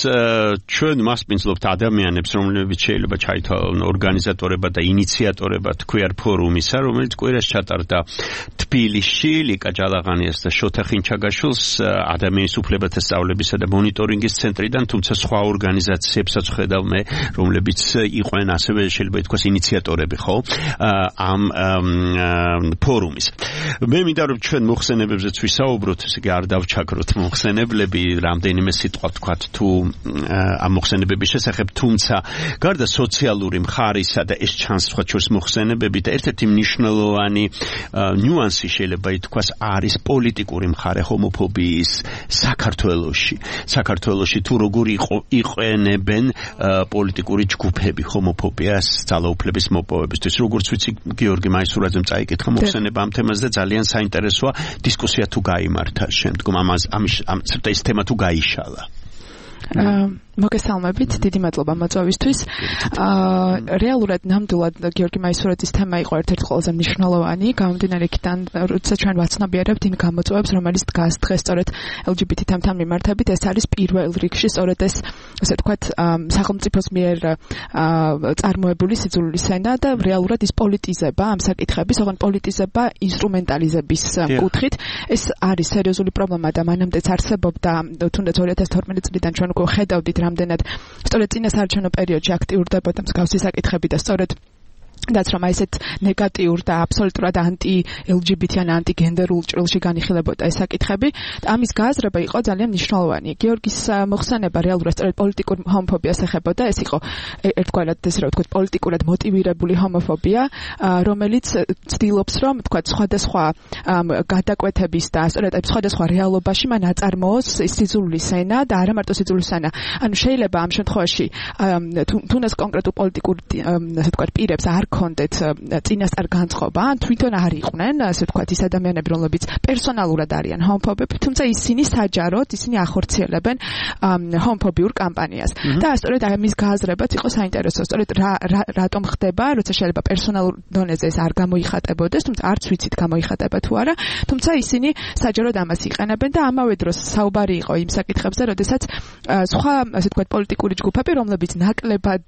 ჩვენ მასპინძლობთ ადამიანებს, რომლებიც შეიძლება ჩაითვალონ ორგანიზატორებად და ინიციატორებად ქვიარ ფორუმისა, რომელიც კვირას ჩატარდა თბილისში ლიკა ჯალაღანიას და შოთა ხინჩაგაშვილს ადამიანის უფლებათა სწავლებისა და მონიტორინგის ცენტრიდან, თუმცა სხვა ორგანიზაციებსაც ხედავ მე, რომლებიც იყვნენ ასევე შეიძლება ითქვას ინიციატორები, ხო? ამ ფორუმის. მე მინდა რომ ჩვენ მოხსენებებზეც ვისაუბროთ, ესე იგი არ დავჩაქროთ მოხსენებლები, რამდენიმე სიტყვა თქვათ თუ ამ მოხსენებების შესახებ, თუმცა გარდა სოციალური მხარისა და ეს ჩანს სხვა შორის მოხსენებები და ერთ-ერთი მნიშვნელოვანი ნიუანსი შეიძლება ითქვას არის პოლიტიკური მხარე ჰომოფობიის საქართველოში. საქართველოში თუ როგორ იყენებენ პოლიტიკური ჯგუფები ჰომოფობიას ძალაუფლების მოპოვებისთვის. როგორც ვიცი, გიორგი მაისურაძემ წაიკითხა მოხსენება ამ თემაზე და ძალიან საინტერესოა დისკუსია თუ გაიმართა შემდგომ ამას ამის ამ ეს თემა თუ გაიშალა. მოგესალმებით, დიდი მადლობა მოწვევისთვის. რეალურად ნამდვილად გიორგი მაისურაძის თემა იყო ერთ-ერთი ყველაზე მნიშვნელოვანი, გამომდინარე იქიდან, როცა ჩვენ ვაცნობიერებთ იმ გამოწვევებს, რომელიც დგას დღეს სწორედ ელ ჯი ბი თი თემთან მიმართებით, ეს არის პირველ რიგში სწორედ ეს, ასე ვთქვათ, სახელმწიფოს მიერ წარმოებული სიძულვილის ენა და რეალურად ის პოლიტიზება ამ საკითხების, ოღონდ პოლიტიზება ინსტრუმენტალიზების კუთხით. ეს არის სერიოზული პრობლემა და მანამდეც არსებობდა, თუნდაც ორი ათას თორმეტი წლიდან ჩვენ უკვე ხედავდით რამდენად სწორედ წინასაარჩევნო პერიოდში აქტიურდებოდა მსგავსი საკითხები და სწორედ რაც რომ ესეთ ნეგატიურ და აბსოლუტურად ანტი ელ ჯი ბი თი ან ანტი გენდერულ ჭრილში განიხილებოდა ეს საკითხები. ამის გააზრება იყო ძალიან მნიშვნელოვანი. გიორგის მოხსენება რეალურად სწორედ პოლიტიკურ ჰომოფობიას ეხებოდა. ეს იყო ერთგვარად ესე რა ვთქვათ პოლიტიკურად მოტივირებული ჰომოფობია, რომელიც ცდილობს რომ ვთქვათ სხვადასხვა გადაკვეთების და სწორედ ამ სხვადასხვა რეალობაში მან აწარმოოს სიძულვილის ენა და არა მარტო სიძულვილის ენა. ანუ შეიძლება ამ შემთხვევაში თუნდაც კონკრეტულ პოლიტიკურ ასე ვთქვათ პირებს არ ქონდეთ წინასწარ განწყობა, ან თვითონ არ იყვნენ, ასე ვთქვათ, ის ადამიანები, რომლებიც პერსონალურად არიან ჰომოფობები, თუმცა ისინი საჯაროდ ისინი ახორციელებენ ჰომოფობიურ კამპანიას. და სწორედ ამის გააზრებაც იყო საინტერესო, სწორედ რატომ ხდება, როცა შეიძლება პერსონალურ დონეზე ეს არ გამოიხატებოდეს, თუმცა არც ვიცით გამოიხატება თუ არა, თუმცა ისინი საჯაროდ ამას იყენებენ და ამავე დროს საუბარი იყო იმ საკითხებზე, როდესაც სხვა, ასე ვთქვათ, პოლიტიკური ჯგუფები, რომლებიც ნაკლებად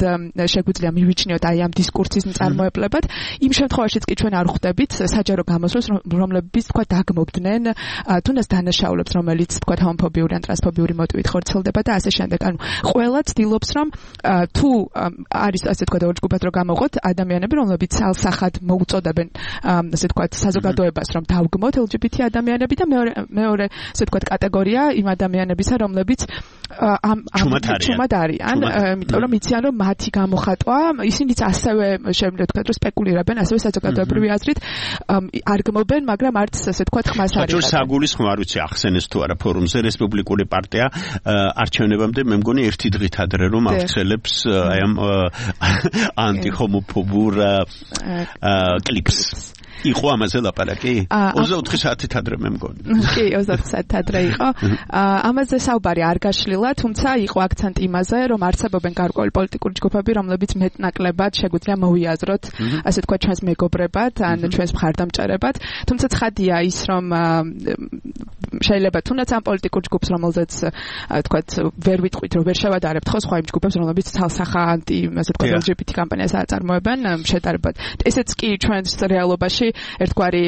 შეგვიძლია მივიჩნიოთ აი ამ დისკურსის მწარმოებლებად, იმ შემთხვევაშიც კი ჩვენ არ ხვდებით საჯარო გამოსვლას, რომლებიც თქვა დაგმობდნენ თუნდაც დანაშაულებს, რომელიც თქვა ჰომოფობიური ან ტრანსფობიური მოტივით ხორციელდება და ასე შემდეგ. ანუ ყველა ცდილობს, რომ თუ არის ასე თქვა ორ ჯგუფად რო გამოღოთ ადამიანები, რომლებიც ალსახად მოუწოდებენ ასე თქვა საზოგადოებას, რომ დავგმოთ ელ ჯი ბი თი ადამიანები და მეორე მეორე ასე თქვა კატეგორია იმ ადამიანებისა, რომლებიც ამ ჩუმად არიან, იმიტომ რომ იციან, რომ მათი გამოხატვა ისინიც ასევე შემიძლია თქვა, რომ სპეკულირებენ, ასევე საზოგადოებრივი აზრით არ გმობენ, მაგრამ არც ასე თქვა ხმას არის. საჯარო საგულისხმო არ ვიცი ახსენეს თუ არა ფორუმზე რესპუბლიკური პარტია არჩევნებამდე მე მგონი ერთი დღით ადრე რომ აღწელებს აი ამ ანტიჰომოფობურ კლიპს. იყო ამაზე ლაპარაკი? ოცდაოთხი საათით ადრე მე მგონი. კი, ოცდაოთხი საათით ადრე იყო. ამაზე საუბარი არ გაშლილა, თუმცა იყო აქცენტი იმაზე, რომ არსებობენ გარკვეული პოლიტიკური ჯგუფები, რომლებიც მეტნაკლებად შეგვიძლია მოვიაზროთ, ასე თქვა, ჩვენს მეგობრებად, ან ჩვენს მხარდამჭერებად, თუმცა ცხადია ის, რომ შეიძლება თუნდაც ამ პოლიტიკურ ჯგუფს, რომელზეც თქვა, ვერ ვიტყვით, რომ ვერ შევადარებთ ხო სხვა იმ ჯგუფებს, რომლებიც თალსახა ანტი, ასე თქვა, ელ ჯი ბი თი კამპანიას აწარმოებენ შედარებად. ესეც კი ჩვენს რეალობაში ერთგვარი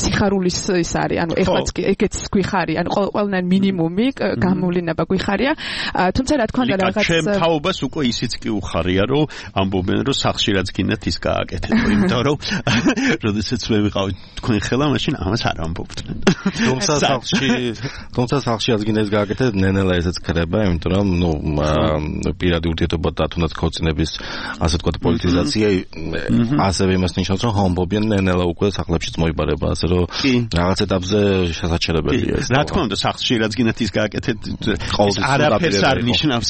სიხარულის ის არის, ანუ ეხლაც ეგეც გვიხარი, ანუ ყველანაირ მინიმუმი გამოვლინება გვიხარია. თუმცა რა თქმა უნდა რაღაც ჩემ თაობას უკვე ისიც კი უხარია, რომ ამბობენ, რომ სახში რაც გინდათ ის გააკეთეთ, იმიტომ რომ როდესაც მე ვიყავი თქვენ ხელა, მაშინ ამას არ ამბობდნენ. თუმცა სახში, თუმცა სახში რაც გინდა ის გააკეთეთ, ნენელა ესეც ხდება, იმიტომ რომ ნუ პირადი ურთიერთობა და თუნდაც ქორწინების ასე ვთქვათ პოლიტიზაცია ასევე იმას ნიშნავს, რომ ჰომოფობია ნენელა უკვე სახლებშიც მოიბარება, ასე რომ რაღაც ეტაპზე შესაჩერებელია ეს. რა თქმა უნდა, სახლში რაც გინდათ ის გააკეთეთ, არაფერს არ ნიშნავს.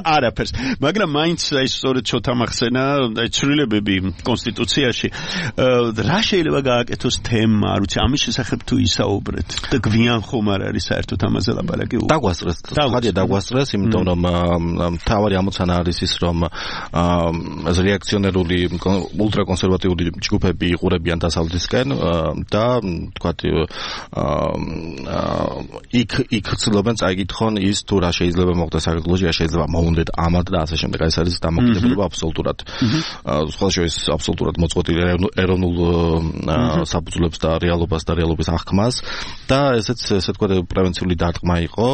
არაფერს. მაგრამ მაინც აი სწორედ ცოტა მახსენა, აი ცვლილებები კონსტიტუციაში, რა შეიძლება გააკეთოს თემა, არ ვიცი, ამის შესახებ თუ ისაუბრეთ და გვიან ხომ არ არის საერთოდ ამაზე ლაპარაკი? დაგვასწრეს. ხადია დაგვასწრეს, იმიტომ რომ თავარი ამოცანა არის ის, რომ ეს რეაქციონერული ულტრაკონსერვატიული ჯგუფები იყურებიან დასავლეთისკენ და თქვათ იქ იქ ცდილობენ წაიკითხონ ის თუ რა შეიძლება მოხდეს საქართველოში, რა შეიძლება მოუნდეთ ამად და ასე შემდეგ. ეს არის დამოკიდებულება აბსოლუტურად სხვა შორის აბსოლუტურად მოწყვეტილი ეროვნულ საფუძვლებს და რეალობას და რეალობის აღქმას და ესეც ესე თქვა პრევენციული დარტყმა იყო.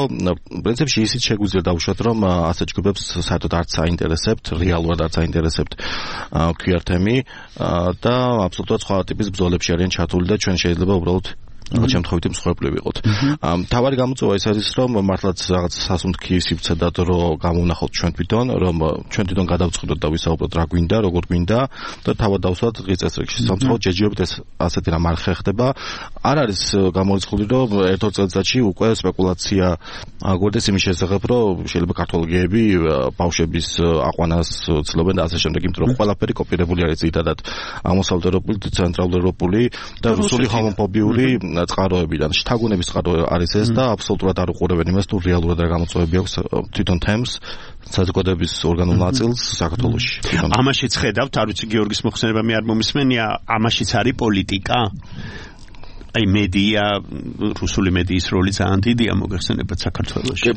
პრინციპში ისიც შეგვიძლია დავუშვათ, რომ ასე ჯგუფებს საერთოდ არც აინტერესებთ, რეალურად არც აინტერესებთ ქუარ თემი და აბსოლუტურად სხვა ტიპის ბრძოლებში არიან ჩართული და ჩვენ შეიძლება უბრალოდ რაღაც შემთხვევით მსხვერპლი ვიყოთ. თავარი გამოწვევა ის არის, რომ მართლაც რაღაც სასუნთქი სივრცე და დრო გამოვნახოთ ჩვენ თვითონ, რომ ჩვენ თვითონ გადავწყვიტოთ და ვისაუბროთ რა გვინდა, როგორ გვინდა და თავად დავსვათ დღის წესრიგში. სამწუხაროდ ჯერჯერობით ეს ასეთი რამ არ ხერხდება. არ არის გამორიცხული, რომ ერთ-ორ წელიწადში უკვე სპეკულაცია აგვერდეს იმის შესახებ, რომ შეიძლება ქართველ გეები ბავშვების აყვანას ცდილობენ და ასე შემდეგ, იმიტომ რომ ყველაფერი კოპირებული არის ძირითადად აღმოსავლეთ ევროპული, ცენტრალურ ევროპული და რუსული ჰომოფობიური წყაროებიდან. შთაგონების წყარო არის ეს და აბსოლუტურად არ უყურებენ იმას, თუ რეალურად რა გამოწვევები აქვს თვითონ თემს საზოგადოების ორგანულ ნაწილს საქართველოში. ამაშიც ხედავთ, არ ვიცი გიორგის მოხსენება მე არ მომისმენია, ამაშიც არის პოლიტიკა? აი მედია, რუსული მედიის როლი ძალიან დიდია მოგეხსენებათ საქართველოში.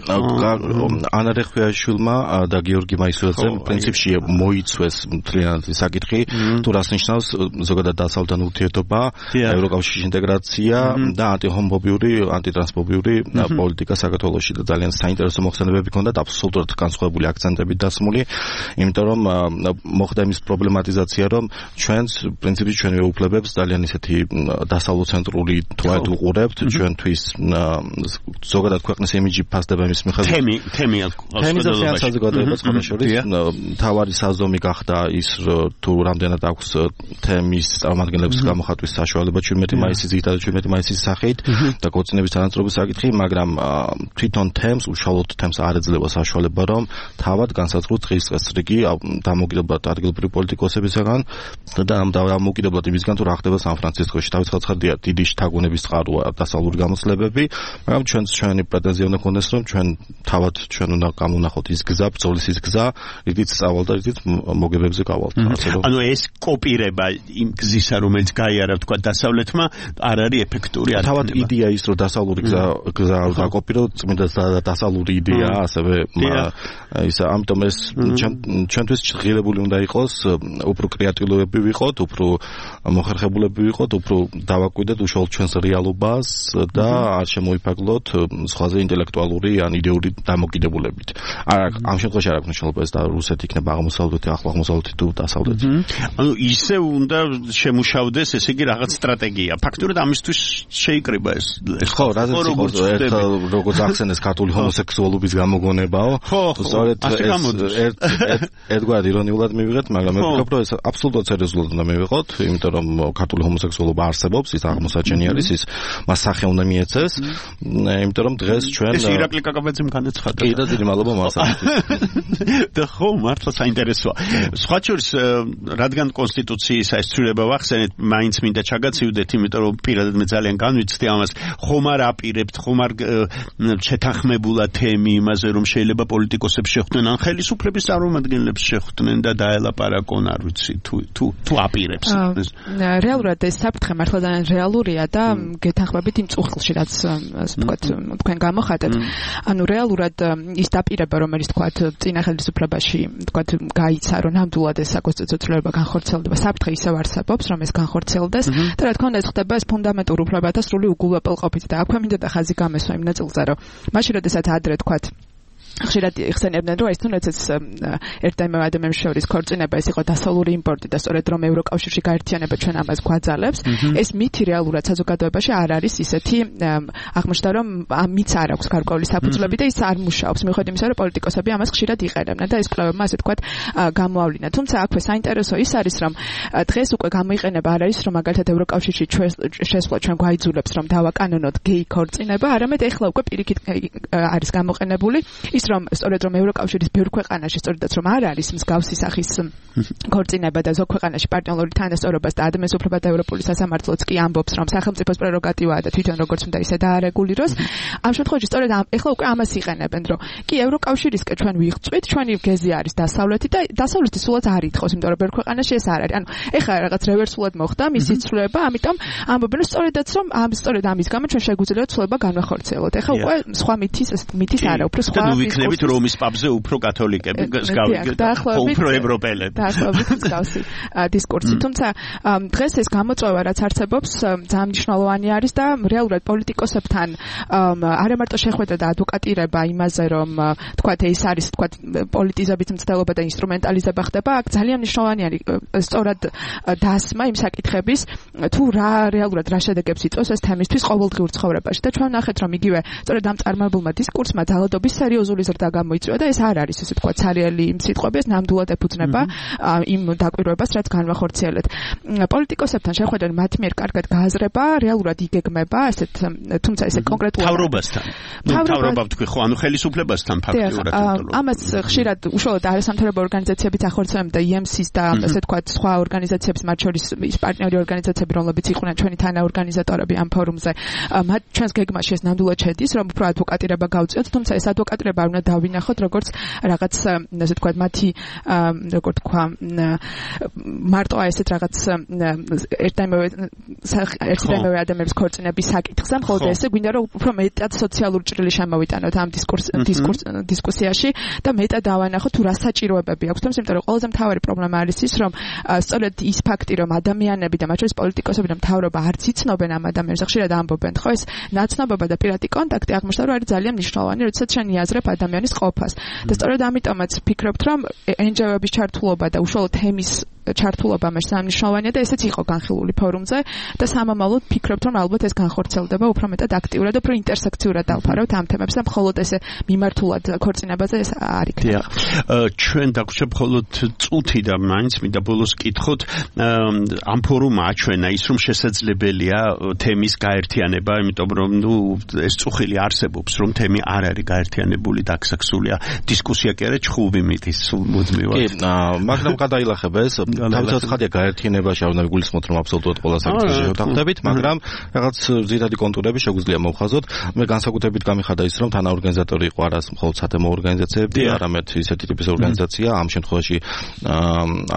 ანა რეხვიაშვილმა და გიორგი მაისურაძემ პრინციპში მოიცვეს მთლიანად საკითხი, თუ რას ნიშნავს ზოგადად დასავლთან ურთიერთობა, ევროკავშირის ინტეგრაცია და ანტიჰომოფობიური, ანტიტრანსფობიური პოლიტიკა საქართველოში და ძალიან საინტერესო მოხსენებები ჰქონდათ, აბსოლუტურად განსხვავებული აქცენტებით დასმული, იმიტომ რომ მოხდა იმის პრობლემატიზაცია, რომ ჩვენს პრინციპში ჩვენ ვეუფლებებს ძალიან ისეთი დასავლურ ცენტრული პოლიტიკური თვალით უყურებთ, ჩვენთვის ზოგადად ქვეყნის იმიჯი ფასდება იმის მიხედვით. თემი, თემი თემიზაცია საზოგადოებას ხოლმე შორის თავარი საზომი გახდა ის თუ რამდენად აქვს თემის წარმომადგენლებს გამოხატვის საშუალება ჩვენმეტი მაისის ძირითადად ჩვენმეტი მაისის სახით და ქორწინების თანაწრობის საკითხი, მაგრამ თვითონ თემს უშუალოდ თემს არ ეძლევა საშუალება რომ თავად განსაზღვროს დღესდღეობით დამოუკიდებლად ადგილობრივი პოლიტიკოსებისგან და ამ დამოუკიდებლად იმისგან თუ რა ხდება სან-ფრანცისკოში. თავისხარდია დიდი შთაგონების წყაროა დასავლური გამოცდილებები, მაგრამ ჩვენს ჩვენი პრეტენზია უნდა გქონდეს რომ ჩვენ თავად ჩვენ უნდა გამონახოთ ის გზა, ბრძოლის ის გზა, რითიც სწავალ და რითიც მოგებებზე გავალთ. ანუ ეს კოპირება იმ გზისა, რომელიც გაიარა თქვა დასავლეთმა, არ არის ეფექტური. თავად იდეა ის რომ დასავლური გზა გზა დაკოპიროთ, წმინდა დასავლური იდეა, ასევე ისა ამიტომ ეს ჩვენთვის ღირებული უნდა იყოს, უფრო კრეატიულები ვიყოთ, უფრო მოხერხებულები ვიყოთ, უფრო დავაკვირდეთ უშუალოდ ჩვენს რეალობას და არ შემოიფარგლოთ სხვაზე ინტელექტუალური ან იდეური დამოკიდებულებით. არა, ამ შემთხვევაში არ აქვს მნიშვნელობა ეს და რუსეთი იქნება აღმოსავლეთი, ახლო აღმოსავლეთი თუ დასავლეთი. ანუ ისე უნდა შემუშავდეს, ესე იგი რაღაც სტრატეგია. ფაქტობრივად ამისთვის შეიკრიბა ეს. ხო, რაზეც იყოს ერთხელ როგორც ახსენეს ქართული ჰომოსექსუალობის გამოგონებაო. სწორედ ერთ ერთგვარ ირონიულად მივიღეთ, მაგრამ მე ვფიქრობ, რომ ეს აბსოლუტურად სერიოზულად უნდა მივიღოთ, იმიტომ რომ ქართული ჰომოსექსუალობა არსებობს, ის აღმოსაჩენი არის, ის მას სახე უნდა მიეცეს, იმიტომ რომ დღეს ჩვენ ეს ირაკლი კაკაბაძემ განაცხადა. კი და დიდი მადლობა მას. და ხო, მართლა საინტერესოა. სხვა შორის, რადგან კონსტიტუციის ეს ცვლილება ვახსენეთ, მაინც მინდა ჩაგაცივდეთ, იმიტომ რომ პირადად მე ძალიან განვიცდი ამას, ხომ არ აპირებთ, ხომ არ შეთანხმებულა თემი იმაზე, რომ შეიძლება პოლიტიკოსებს შეხვდნენ, ან ხელისუფლების წარმომადგენლებს შეხვდნენ და დაელაპარაკონ, არ ვიცი, თუ თუ თუ აპირებს. რეალურად ეს საფრთხე მართლა ძალიან რეალურია და გეთანხმებით იმ წუხილში, რაც ასე ვთქვათ, თქვენ გამოხატეთ. ანუ რეალურად ის დაპირება, რომელიც თქვათ წინა ხელისუფლებაში, თქვათ გაიცა, რომ ნამდვილად ეს საკონსტიტუციო ცვლილება განხორციელდება, საფრთხე ისევ არსებობს, რომ ეს განხორციელდეს და რა თქმა უნდა ეს ხდება ეს ფუნდამენტურ უფლებათა სრული უგულვებელყოფით და აქვე მინდა და ხაზი გამესვა იმ ნაწილზე, რომ მაშინ როდესაც ადრე თქვათ ხშირად იხსენებდნენ, რომ ეს თუნდაც ეს ერთ და იმავე ადამიანის შორის ქორწინება ეს იყო დასავლური იმპორტი და სწორედ რომ ევროკავშირში გაერთიანება ჩვენ ამას გვაძალებს, ეს მითი რეალურად საზოგადოებაში არ არის ისეთი აღმოჩნდა, რომ ამიც არ აქვს გარკვეული საფუძვლები და ის არ მუშაობს, მიუხედავად იმისა, რომ პოლიტიკოსები ამას ხშირად იყენებდნენ და ეს კვლევებმა ასე თქვათ გამოავლინა. თუმცა აქვე საინტერესო ის არის, რომ დღეს უკვე გამოიყენება არ არის, რომ მაგალითად ევროკავშირში შესვლა ჩვენ გვაიძულებს, რომ დავაკანონოთ გეი ქორწინება, არამედ ეხლა უკვე პირიქით არის გამოყენებული ის რომ სწორედ რომ ევროკავშირის ბევრ ქვეყანაში სწორედაც რომ არ არის მსგავსი სახის ქორწინება და ზოგ ქვეყანაში პარტნიორული თანასწორობას და ადამიანის უფლებათა ევროპული სასამართლოც კი ამბობს რომ სახელმწიფოს პრეროგატივაა და თვითონ როგორც უნდა ისე დაარეგულიროს. ამ შემთხვევაში სწორედ ეხლა უკვე ამას იყენებენ, რომ კი ევროკავშირისკენ ჩვენ ვიღწვით, ჩვენი გეზი არის დასავლეთი და დასავლეთი სულაც არ ითხოვს, იმიტომ რომ ბევრ ქვეყანაში ეს არ არის. ანუ ეხლა რაღაც რევერსულად მოხდა მისი ცვლილება, ამიტომ ამბობენ სწორედაც რომ ამ სწორედ ამის გამო ჩვენ შეგვიძლია ცვლილება განვახორციელოთ. ეხლა უკვე სხვა მითის მითის არა, უფრო სხვა ვიქნებით რომის პაპზე უფრო კათოლიკები, უფრო ევროპელები. დაახლოებით მსგავსი დისკურსი. თუმცა დღეს ეს გამოწვევა რაც არსებობს, ძალიან მნიშვნელოვანი არის და რეალურად პოლიტიკოსებთან არა მარტო შეხვედრა და ადვოკატირება იმაზე, რომ თქვათ ეს არის თქვათ პოლიტიზების მცდელობა და ინსტრუმენტალიზება ხდება, აქ ძალიან მნიშვნელოვანი არის სწორად დასმა იმ საკითხების, თუ რა რეალურად რა შედეგებს იწვევს ეს თემისთვის ყოველდღიურ ცხოვრებაში. და ჩვენ ნახეთ, რომ იგივე სწორედ ამ წარმოებულმა დისკურსმა ძალადობის სერიოზული ზრდა გამოიწვია და ეს არ არის ესე თქვა ცარიელი იმ სიტყვები, ეს ნამდვილად ეფუძნება იმ დაკვირვებას, რაც განვახორციელეთ. პოლიტიკოსებთან შეხვედრა მათ მიერ კარგად გააზრება, რეალურად იგეგმება, ესეთ თუმცა ესე კონკრეტულად თავრობასთან. თავრობა ვთქვი ხო, ანუ ხელისუფლებასთან ფაქტიურად. ამას ხშირად უშუალოდ არასამთავრობო ორგანიზაციებიც ახორციელებენ და ი ემ სი-ს და ესე თქვა სხვა ორგანიზაციებს, მათ შორის ის პარტნიორი ორგანიზაციები, რომლებიც იყვნენ ჩვენი თანაორგანიზატორები ამ ფორუმზე. მათ ჩვენს გეგმაში ეს ნამდვილად შედის, რომ უფრო ადვოკატირება გავწიოთ, თუმცა ეს ადვოკატირება უნდა დავინახოთ როგორც რაღაც ასე თქვა მათი როგორ თქვა მარტო ესეთ რაღაც ერთ და იმავე ერთ და იმავე ადამიანის ქორწინების საკითხზე, მხოლოდ ესე გვინდა რომ უფრო მეტად სოციალური ჭრილი შემოვიტანოთ ამ დისკურს დისკურს დისკუსიაში და მეტად დავანახოთ თუ რა საჭიროებები აქვს. თუმცა იმიტომ რომ ყველაზე მთავარი პრობლემა არის ის, რომ სწორედ ის ფაქტი, რომ ადამიანები და მათ შორის პოლიტიკოსები და მთავრობა არც იცნობენ ამ ადამიანებს, ხშირად ამბობენ, ხო ეს ნაცნობობა და პირადი კონტაქტი აღმოჩნდა რომ არის ძალიან მნიშვნელოვანი, როდესაც შენ იაზრებ ადამიანის ყოფას. და სწორედ ამიტომაც ფიქრობთ, რომ ენ ჯი ო-ების ჩართულობა და უშუალოდ თემის ჩართულობა მე სამნიშნავანია და ესეც იყო განხილული ფორუმზე და სამომავლოდ ფიქრობთ რომ ალბათ ეს განხორციელდება უფრო მეტად აქტიურად და უფრო ინტერსექციურად დავფარავთ ამ თემებს და მხოლოდ ესე მიმართულად ქორწინებაზე ეს არ იქნება. ჩვენ დაგვჭირ მხოლოდ წუთი და მაინც მინდა ბოლოს კითხოთ ამ ფორუმმა აჩვენა ის რომ შესაძლებელია თემის გაერთიანება, იმიტომ რომ ნუ ეს წუხილი არსებობს რომ თემი არ არის გაერთიანებული და აქსაქსულია დისკუსია კი არა ჩხუბი მიდის მუდმივად. კი, მაგრამ გადაილახება ეს თავისთავად ხადია გაერთიანებაში არ უნდა გულისხმოთ რომ აბსოლუტურად ყველა საკითხში შევთანხმდებით, მაგრამ რაღაც ძირითადი კონტურები შეგვიძლია მოვხაზოთ. მე განსაკუთრებით გამიხადა ის რომ თანაორგანიზატორი იყო არა მხოლოდ სათემო ორგანიზაციები, არამედ ისეთი ტიპის ორგანიზაცია, ამ შემთხვევაში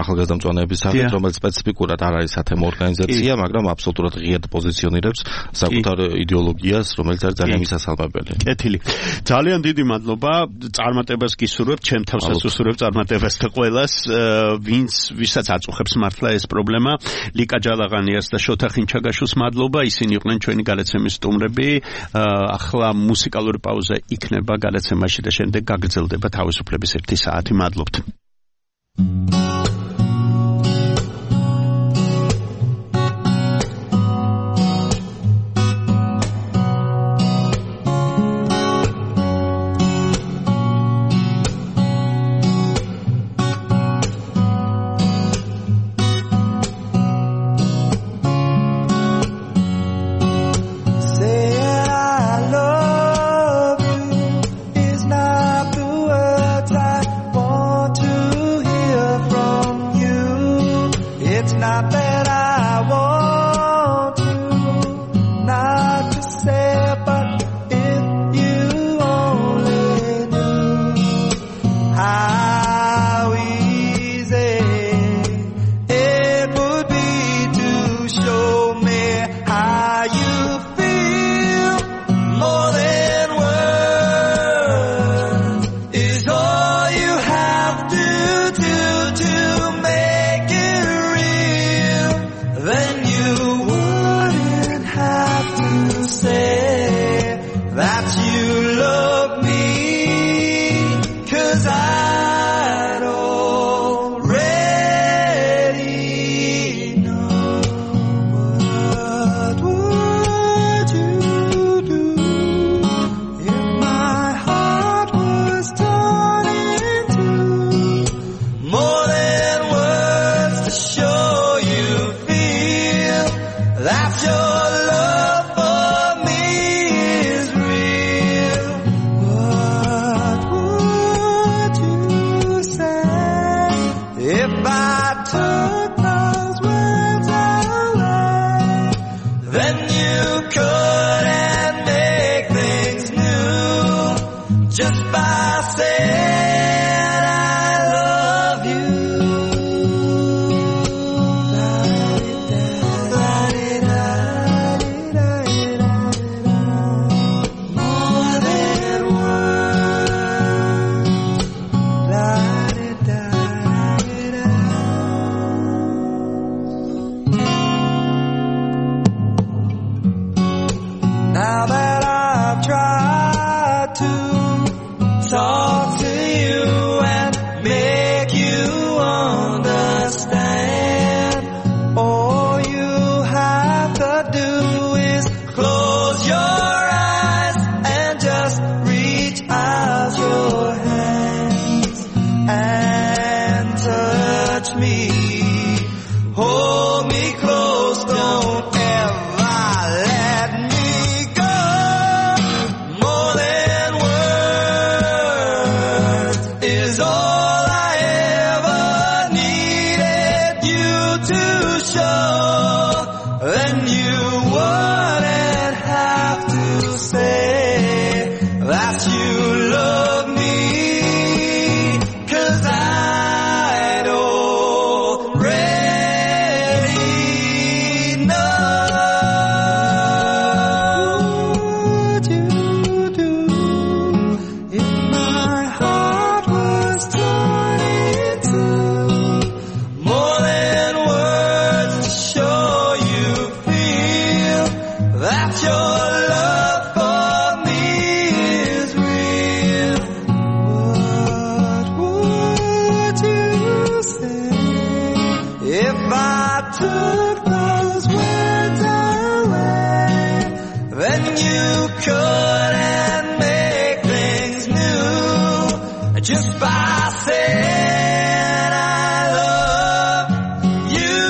ახალგაზრდა მწვანეების სახით, რომელიც სპეციფიკურად არ არის სათემო ორგანიზაცია, მაგრამ აბსოლუტურად ღიად პოზიციონირებს საკუთარ იდეოლოგიას, რომელიც არის ძალიან მისასალმებელი. კეთილი. ძალიან დიდი მადლობა. წარმატებას გისურვებთ, ჩემ თავსაც უსურვებ წარმატებას და ყველას, ვინც ვისაც აწუხებს მართლა ეს პრობლემა. ლიკა ჯალაღანიას და შოთა ხინჩაგაშვილს მადლობა. ისინი იყვნენ ჩვენი გადაცემის სტუმრები. ახლა მუსიკალური პაუზა იქნება გადაცემაში და შემდეგ გაგრძელდება თავისუფლების ერთი საათი. მადლობთ. To make it real could and make things new just by saying I love you.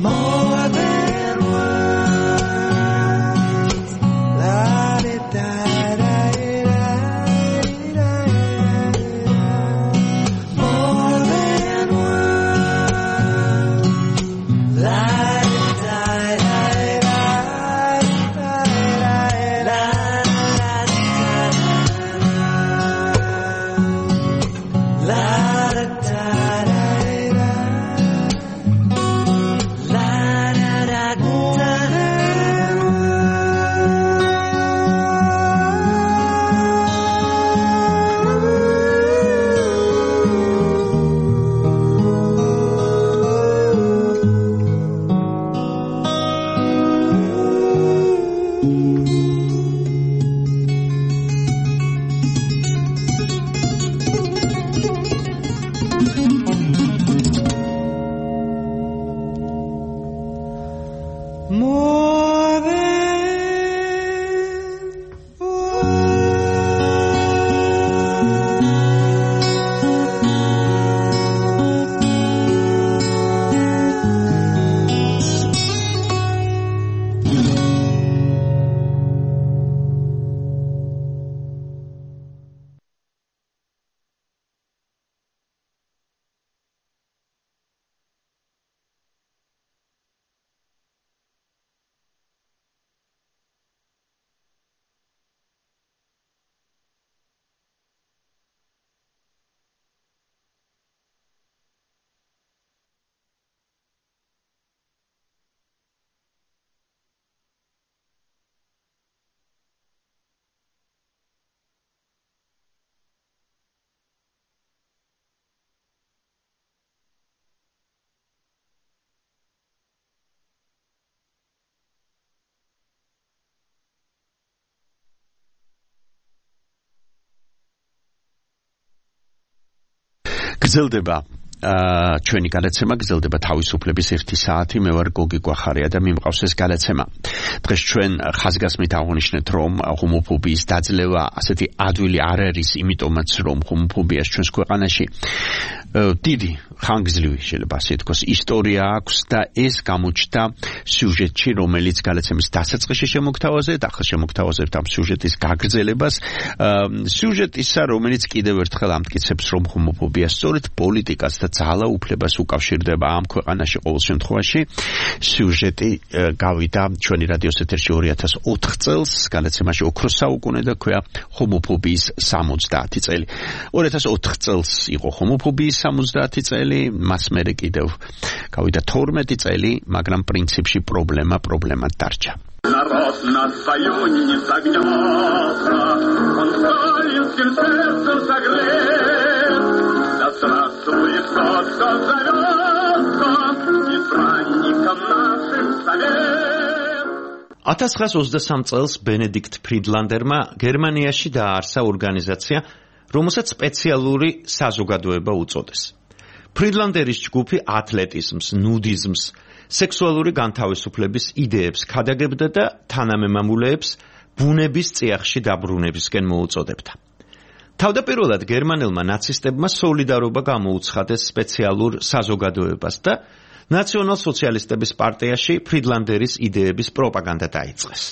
More than words. More than გრძელდება ჩვენი გადაცემა, გრძელდება თავისუფლების ერთი საათი. მე ვარ გოგი გვახარია და მიმყავს ეს გადაცემა. დღეს ჩვენ ხაზგასმით აღნიშნეთ, რომ ჰომოფობიის დაძლევა ასეთი ადვილი არ არის, იმიტომაც რომ ჰომოფობიას ჩვენს ქვეყანაში დიდი ხანგრძლივი შეიძლება ასე თქვას ისტორია აქვს და ეს გამოჩნდა სიუჟეტში, რომელიც გადაცემის დასაწყისში შემოგთავაზეთ. ახლა შემოგთავაზებთ ამ სიუჟეტის გაგრძელებას. სიუჟეტისა, რომელიც კიდევ ერთხელ ამტკიცებს, რომ ჰომოფობია სწორედ პოლიტიკას და ძალაუფლებას უკავშირდება ამ ქვეყანაში ყოველ შემთხვევაში. სიუჟეტი გავიდა ჩვენი რადიოს ეთერში ორი ათას ოთხ წელს, გადაცემაში ოქროს საუკუნე და ქვია ჰომოფობიის სამოცდაათი წელი. ორი ათას ოთხ წელს იყო ჰომოფობიის სამოცდაათი წელი, მას მერე კიდევ გავიდა თორმეტი წელი, მაგრამ პრინციპში პრობლემა პრობლემად დარჩა. Народ на своем не согнется, он сталинским сердцем согрет. Да здравствует тот, кто зовется избранником нашим совет. ათას ცხრაას ოცდასამ წელს ბენედიქტ ფრიდლანდერმა გერმანიაში დააარსა ორგანიზაცია, რომელსაც სპეციალური საზოგადოება უწოდეს. ფრიდლანდერის ჯგუფი ათლეტიზმს, ნუდიზმს, სექსუალური განთავისუფლების იდეებს ქადაგებდა და თანამემამულეებს ბუნების წიაღში დაბრუნებისკენ მოუწოდებდა. თავდაპირველად გერმანელმა ნაცისტებმა სოლიდარობა გამოუცხადეს სპეციალურ საზოგადოებას და ნაციონალ-სოციალისტების პარტიაში ფრიდლანდერის იდეების პროპაგანდა დაიწყეს.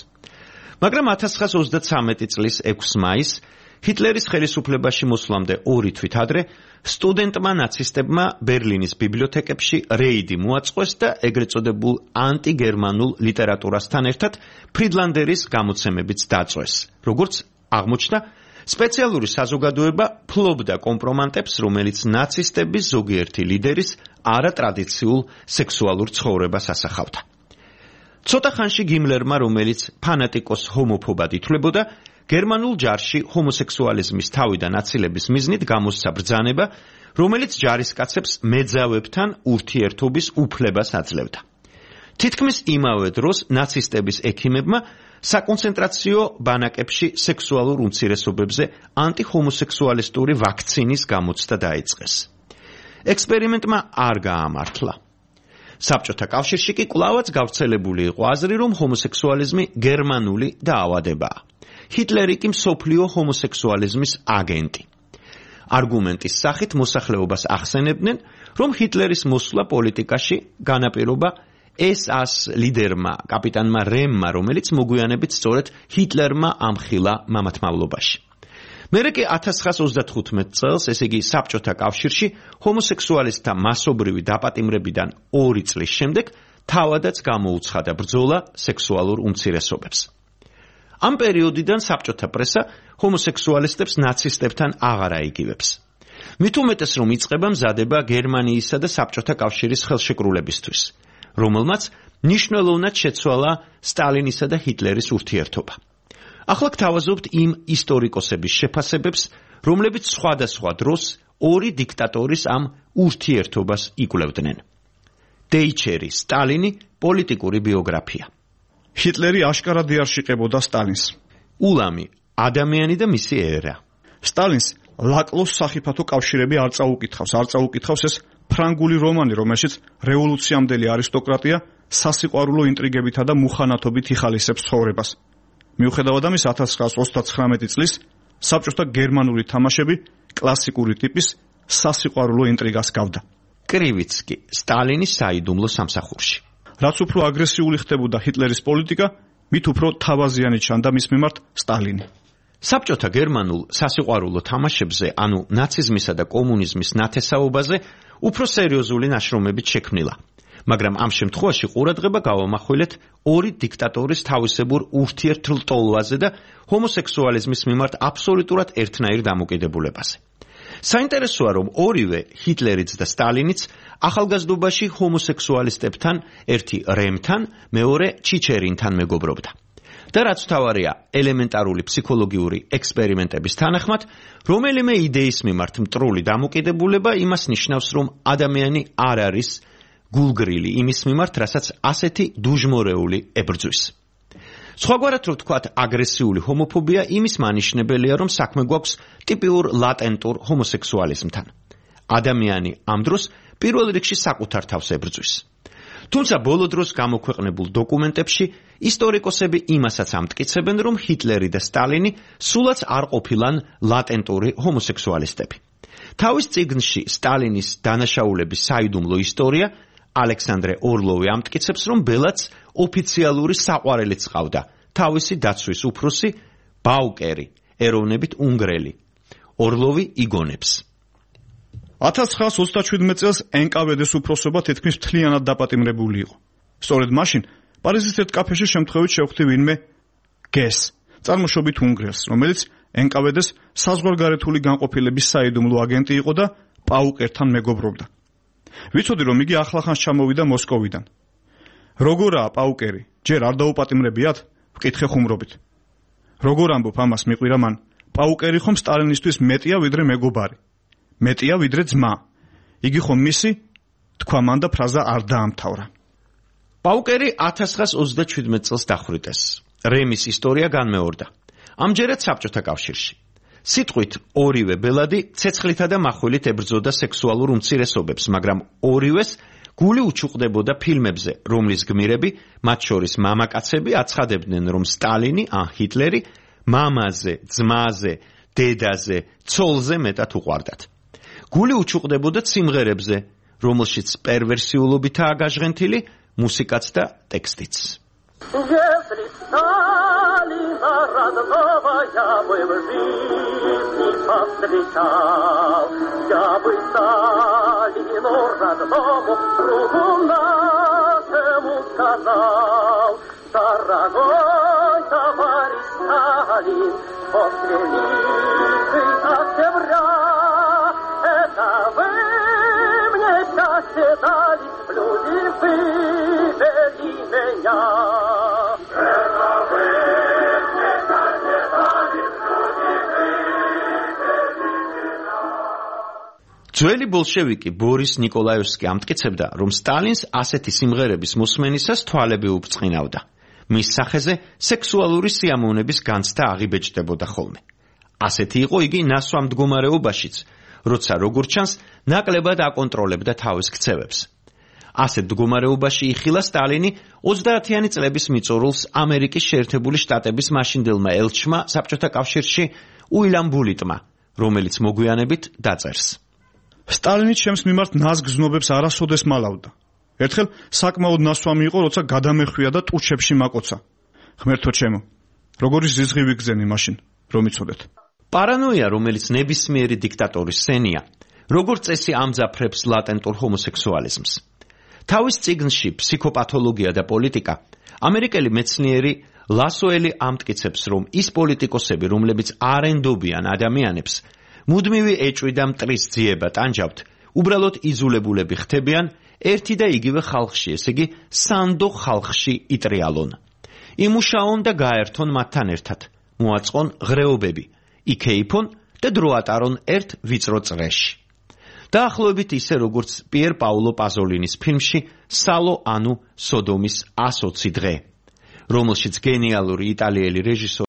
მაგრამ ათას ცხრაას ოცდათვრამეტი წლის ექვსი მაისს ჰიტლერის ხელისუფლებაში მოსვლამდე ორი თვით ადრე სტუდენტმა ნაცისტებმა ბერლინის ბიბლიოთეკებში რეიდი მოაწყვეს და ეგრეთ წოდებულ ანტიგერმანულ ლიტერატურასთან ერთად ფრიდლანდერის გამოცემებიც დაწვეს. როგორც აღმოჩნდა, სპეციალური საზოგადოება ფლობდა კომპრომანტებს, რომელიც ნაცისტების ზოგიერთი ლიდერის არატრადიციულ სექსუალურ ცხოვრებას ასახავდა. ცოტა ხანში გიმლერმა, რომელიც ფანატიკოს ჰომოფობად ითვლებოდა, გერმანულ ჯარში ჰომოსექსუალიზმის თავიდან აცილების მიზნით გამოსცა ბრძანება, რომელიც ჯარისკაცებს მეძავებთან ურთიერთობის უფლებას აძლევდა. თითქმის იმავე დროს ნაცისტების ექიმებმა საკონცენტრაციო ბანაკებში სექსუალურ უმცირესობებზე ანტihomosexualistური ვაქცინის გამოცდა დაიწყეს. ექსპერიმენტმა არ გაამართლა. საბჭოთა კავშირში კი კვლავაც გავრცელებული იყო აზრი, რომ ჰომოსექსუალიზმი გერმანული დაავადებაა. ჰიტლერი კი მსოფლიო ჰომოსექსუალიზმის აგენტი. არგუმენტის სახით მოსახლეობას ახსენებდნენ, რომ ჰიტლერის მოსვლა პოლიტიკაში განაპირობა ეს ას ლიდერმა, კაპიტანმა რემმა, რომელიც მოგვიანებით სწორედ ჰიტლერმა ამხილა მამათმავლობაში. მერე კი ათას ცხრაას ოცდათხუთმეტ წელს, ესე იგი საბჭოთა კავშირში, ჰომოსექსუალისტთა მასობრივი დაპატიმრებიდან ორი წლის შემდეგ თავადაც გამოუცხადა ბრძოლა სექსუალურ უმცირესობებს. ამ პერიოდიდან საბჭოთა პრესა ჰომოსექსუალისტებს ნაცისტებთან აღარ აიგივებს. მით უმეტეს, რომ იწყება მზადება გერმანიისა და საბჭოთა კავშირის ხელშეკრულებისთვის, რომელმაც მნიშვნელოვნად შეცვალა სტალინისა და ჰიტლერის ურთიერთობა. ახლა გთავაზობთ იმ ისტორიკოსების შეფასებებს, რომლებიც სხვადასხვა დროს ორი დიქტატორის ამ ურთიერთობას იკვლევდნენ. დეიჩერი, სტალინი, პოლიტიკური ბიოგრაფია. ჰიტლერი აშკარად იარშიყებოდა სტალინს. ულამი, ადამიანი და მისი ერა. სტალინს ლაკლოს სახიფათო კავშირები არ წაუკითხავს, არ წაუკითხავს ეს ფრანგული რომანი, რომელშიც რევოლუციამდელი არისტოკრატია სასიყვარულო ინტრიგებითა და მუხანათობით იხალისებს ცხოვრებას. მიუხედავად ამისა, ათას ცხრაას ოცდაცხრამეტი წლის საბჭოთა გერმანული თამაშები კლასიკური ტიპის სასიყვარულო ინტრიგას გავდა. კრივიცკი, სტალინის საიდუმლო სამსახურში. რაც უფრო აგრესიული ხდებოდა ჰიტლერის პოლიტიკა, მით უფრო თავაზიანი ჩანდა მის მიმართ სტალინი. საბჭოთა გერმანულ სასიყვარულო თამაშებზე, ანუ ნაციზმისა და კომუნიზმის ნათესაობაზე, უფრო სერიოზული ნაშრომებით შექმნილა. მაგრამ ამ შემთხვევაში ყურადღება გავამახვილეთ ორი დიქტატორის თავისებურ ურთიერთლტოლვაზე და ჰომოსექსუალიზმის მიმართ აბსოლუტურად ერთნაირ დამოკიდებულებაზე. საინტერესოა, რომ ორივე ჰიტლერიც და სტალინიც ახალგაზრდობაში ჰომოსექსუალისტებთან, ერთი რემთან, მეორე ჩიჩერინთან მეგობრობდა. და რაც თავარია, ელემენტარული ფსიქოლოგიური ექსპერიმენტების თანახმად, რომელიმე იდეის მიმართ მტრული დამოკიდებულება იმას ნიშნავს, რომ ადამიანი არ არის გულგრილი იმის მიმართ, რასაც ასეთი დუჟმორეული ებრძვის. სხვაგვარად რო ვთქვათ, აგრესიული ჰომოფობია იმის მანიშნებელია, რომ საქმე გვაქვს ტიპიურ ლატენტურ ჰომოსექსუალიზმთან. ადამიანი ამ დროს პირველ რიგში საკუთარ თავს ებრძვის. თუმცა ბოლო დროს გამოქვეყნებულ დოკუმენტებში ისტორიკოსები იმასაც ამტკიცებენ, რომ ჰიტლერი და სტალინი სულაც არ ყოფილან ლატენტური ჰომოსექსუალისტები. თავის წიგნში სტალინის დანაშაულების საიდუმლო ისტორია ალექსანდრე ორლოვი ამტკიცებს, რომ ბელაც ოფიციალური საყვარელიც ყავდა, თავისი დაცვის უფროსი ბაუკერი, ეროვნებით უნგრელი. ორლოვი იგონებს. ათას ცხრაას ოცდაშვიდმეტ წელს ენ კა ვე დე-ს უფროსობა თითქმის მთლიანად დაპატიმრებული იყო. სწორედ მაშინ პარიზის ერთ კაფეში შემთხვევით შევხვდი ვინმე გეს, წარმოშობით უნგრელს, რომელიც ენ კა ვე დე-ს საზღვარგარეთული განყოფილების საიდუმლო აგენტი იყო და პაუკერთან მეგობრობდა. ვიცოდი, რომ იგი ახლახანს ჩამოვიდა მოსკოვიდან. როგორაა პაუკერი? ჯერ არ დაუპატიმრებიათ? ვკითხე ხუმრობით. როგორ ამბობ ამას მიყვირა მან? პაუკერი ხომ სტალინისთვის მეტია ვიდრე მეგობარი. მეტია ვიდრე ძმა. იგი ხომ მისი? თქვა მან და ფრაზა არ დაამთავრა. პაუკერი ათას ცხრაას ოცდაშვიდმეტ წელს დახვრიტეს. რემის ისტორია განმეორდა. ამჯერად საბჭოთა კავშირში. სიტყვით ორივე ბელადი ცეცხლითა და מחვილით ებრძოდა სექსუალურ უმცირესობებს, მაგრამ ორივეს გული უჩუყდებოდა ფილმებზე, რომლის გმირები, მათ შორის მამაკაცები, აცხადებდნენ, რომ სტალინი ან ჰიტლერი მამაზე, ძმაზე, დედაზე, ცოლზე მეტად უყვარდათ. გული უჩუყდებოდა სიმღერებზე, რომელშიც პერვერსიულობითაა გაჟღენთილი მუსიკაც და ტექსტიც. Если Сталина родного я бы в жизни повстречал, я бы Сталину родному другу нашему сказал: дорогой товарищ Сталин, после лихой октября это вы мне счастье дали, люди вывели меня. ძველი ბოლშევიკი ბორის ნიკოლაევსკი ამტკიცებდა, რომ სტალინს ასეთი სიმღერების მოსმენისას თვალები უბწყინავდა. მის სახეზე სექსუალური სიამოვნების განცდა აღიბეჭდებოდა ხოლმე. ასეთი იყო იგი ნასვამ მდგომარეობაშიც, როცა როგორც ჩანს, ნაკლებად აკონტროლებდა თავის ქცევებს. ასეთ მდგომარეობაში იხილა სტალინი ოცდაათიანი წლების მიწურულს ამერიკის შეერთებული შტატების მაშინდელმა ელჩმა საბჭოთა კავშირში უილამ ბულიტმა, რომელიც მოგვიანებით დაწერს. სტალინი ჩემს მიმართ ნაზგ გზნობებს არასოდეს მალავდა. ერთხელ საკმაოდ ნასვამი იყო, როცა გადამეხვია და ტუჩებში მაკოცა. ღმერთო ჩემო, როგორი ზიზღი ვიგზენი მაშინ, რომ იცოდეთ. პარანოია, რომელიც ნებისმიერი დიქტატორის სენია, როგორც წესი ამძაფრებს ლატენტურ ჰომოსექსუალიზმს. თავის წიგნში ფსიქოპათოლოგია და პოლიტიკა ამერიკელი მეცნიერი ლასოელი ამტკიცებს, რომ ის პოლიტიკოსები, რომლებიც არ ენდობიან ადამიანებს, მუდმივი ეჭვი და მტრის ძიება ტანჯავთ, უბრალოდ იძულებულები ხდებიან ერთი და იგივე ხალხში, ესე იგი სანდო ხალხში იტრიალონ. იმუშაონ და გაერთონ მათთან ერთად, მოაწყონ ღრეობები, იქეიფონ და დრო ატარონ ერთ ვიწრო წრეში. დაახლოებით ისე, როგორც პიერ პაულო პაზოლინის ფილმში სალო ანუ სოდომის ას ოცი დღე, რომელშიც გენიალური იტალიელი რეჟისორი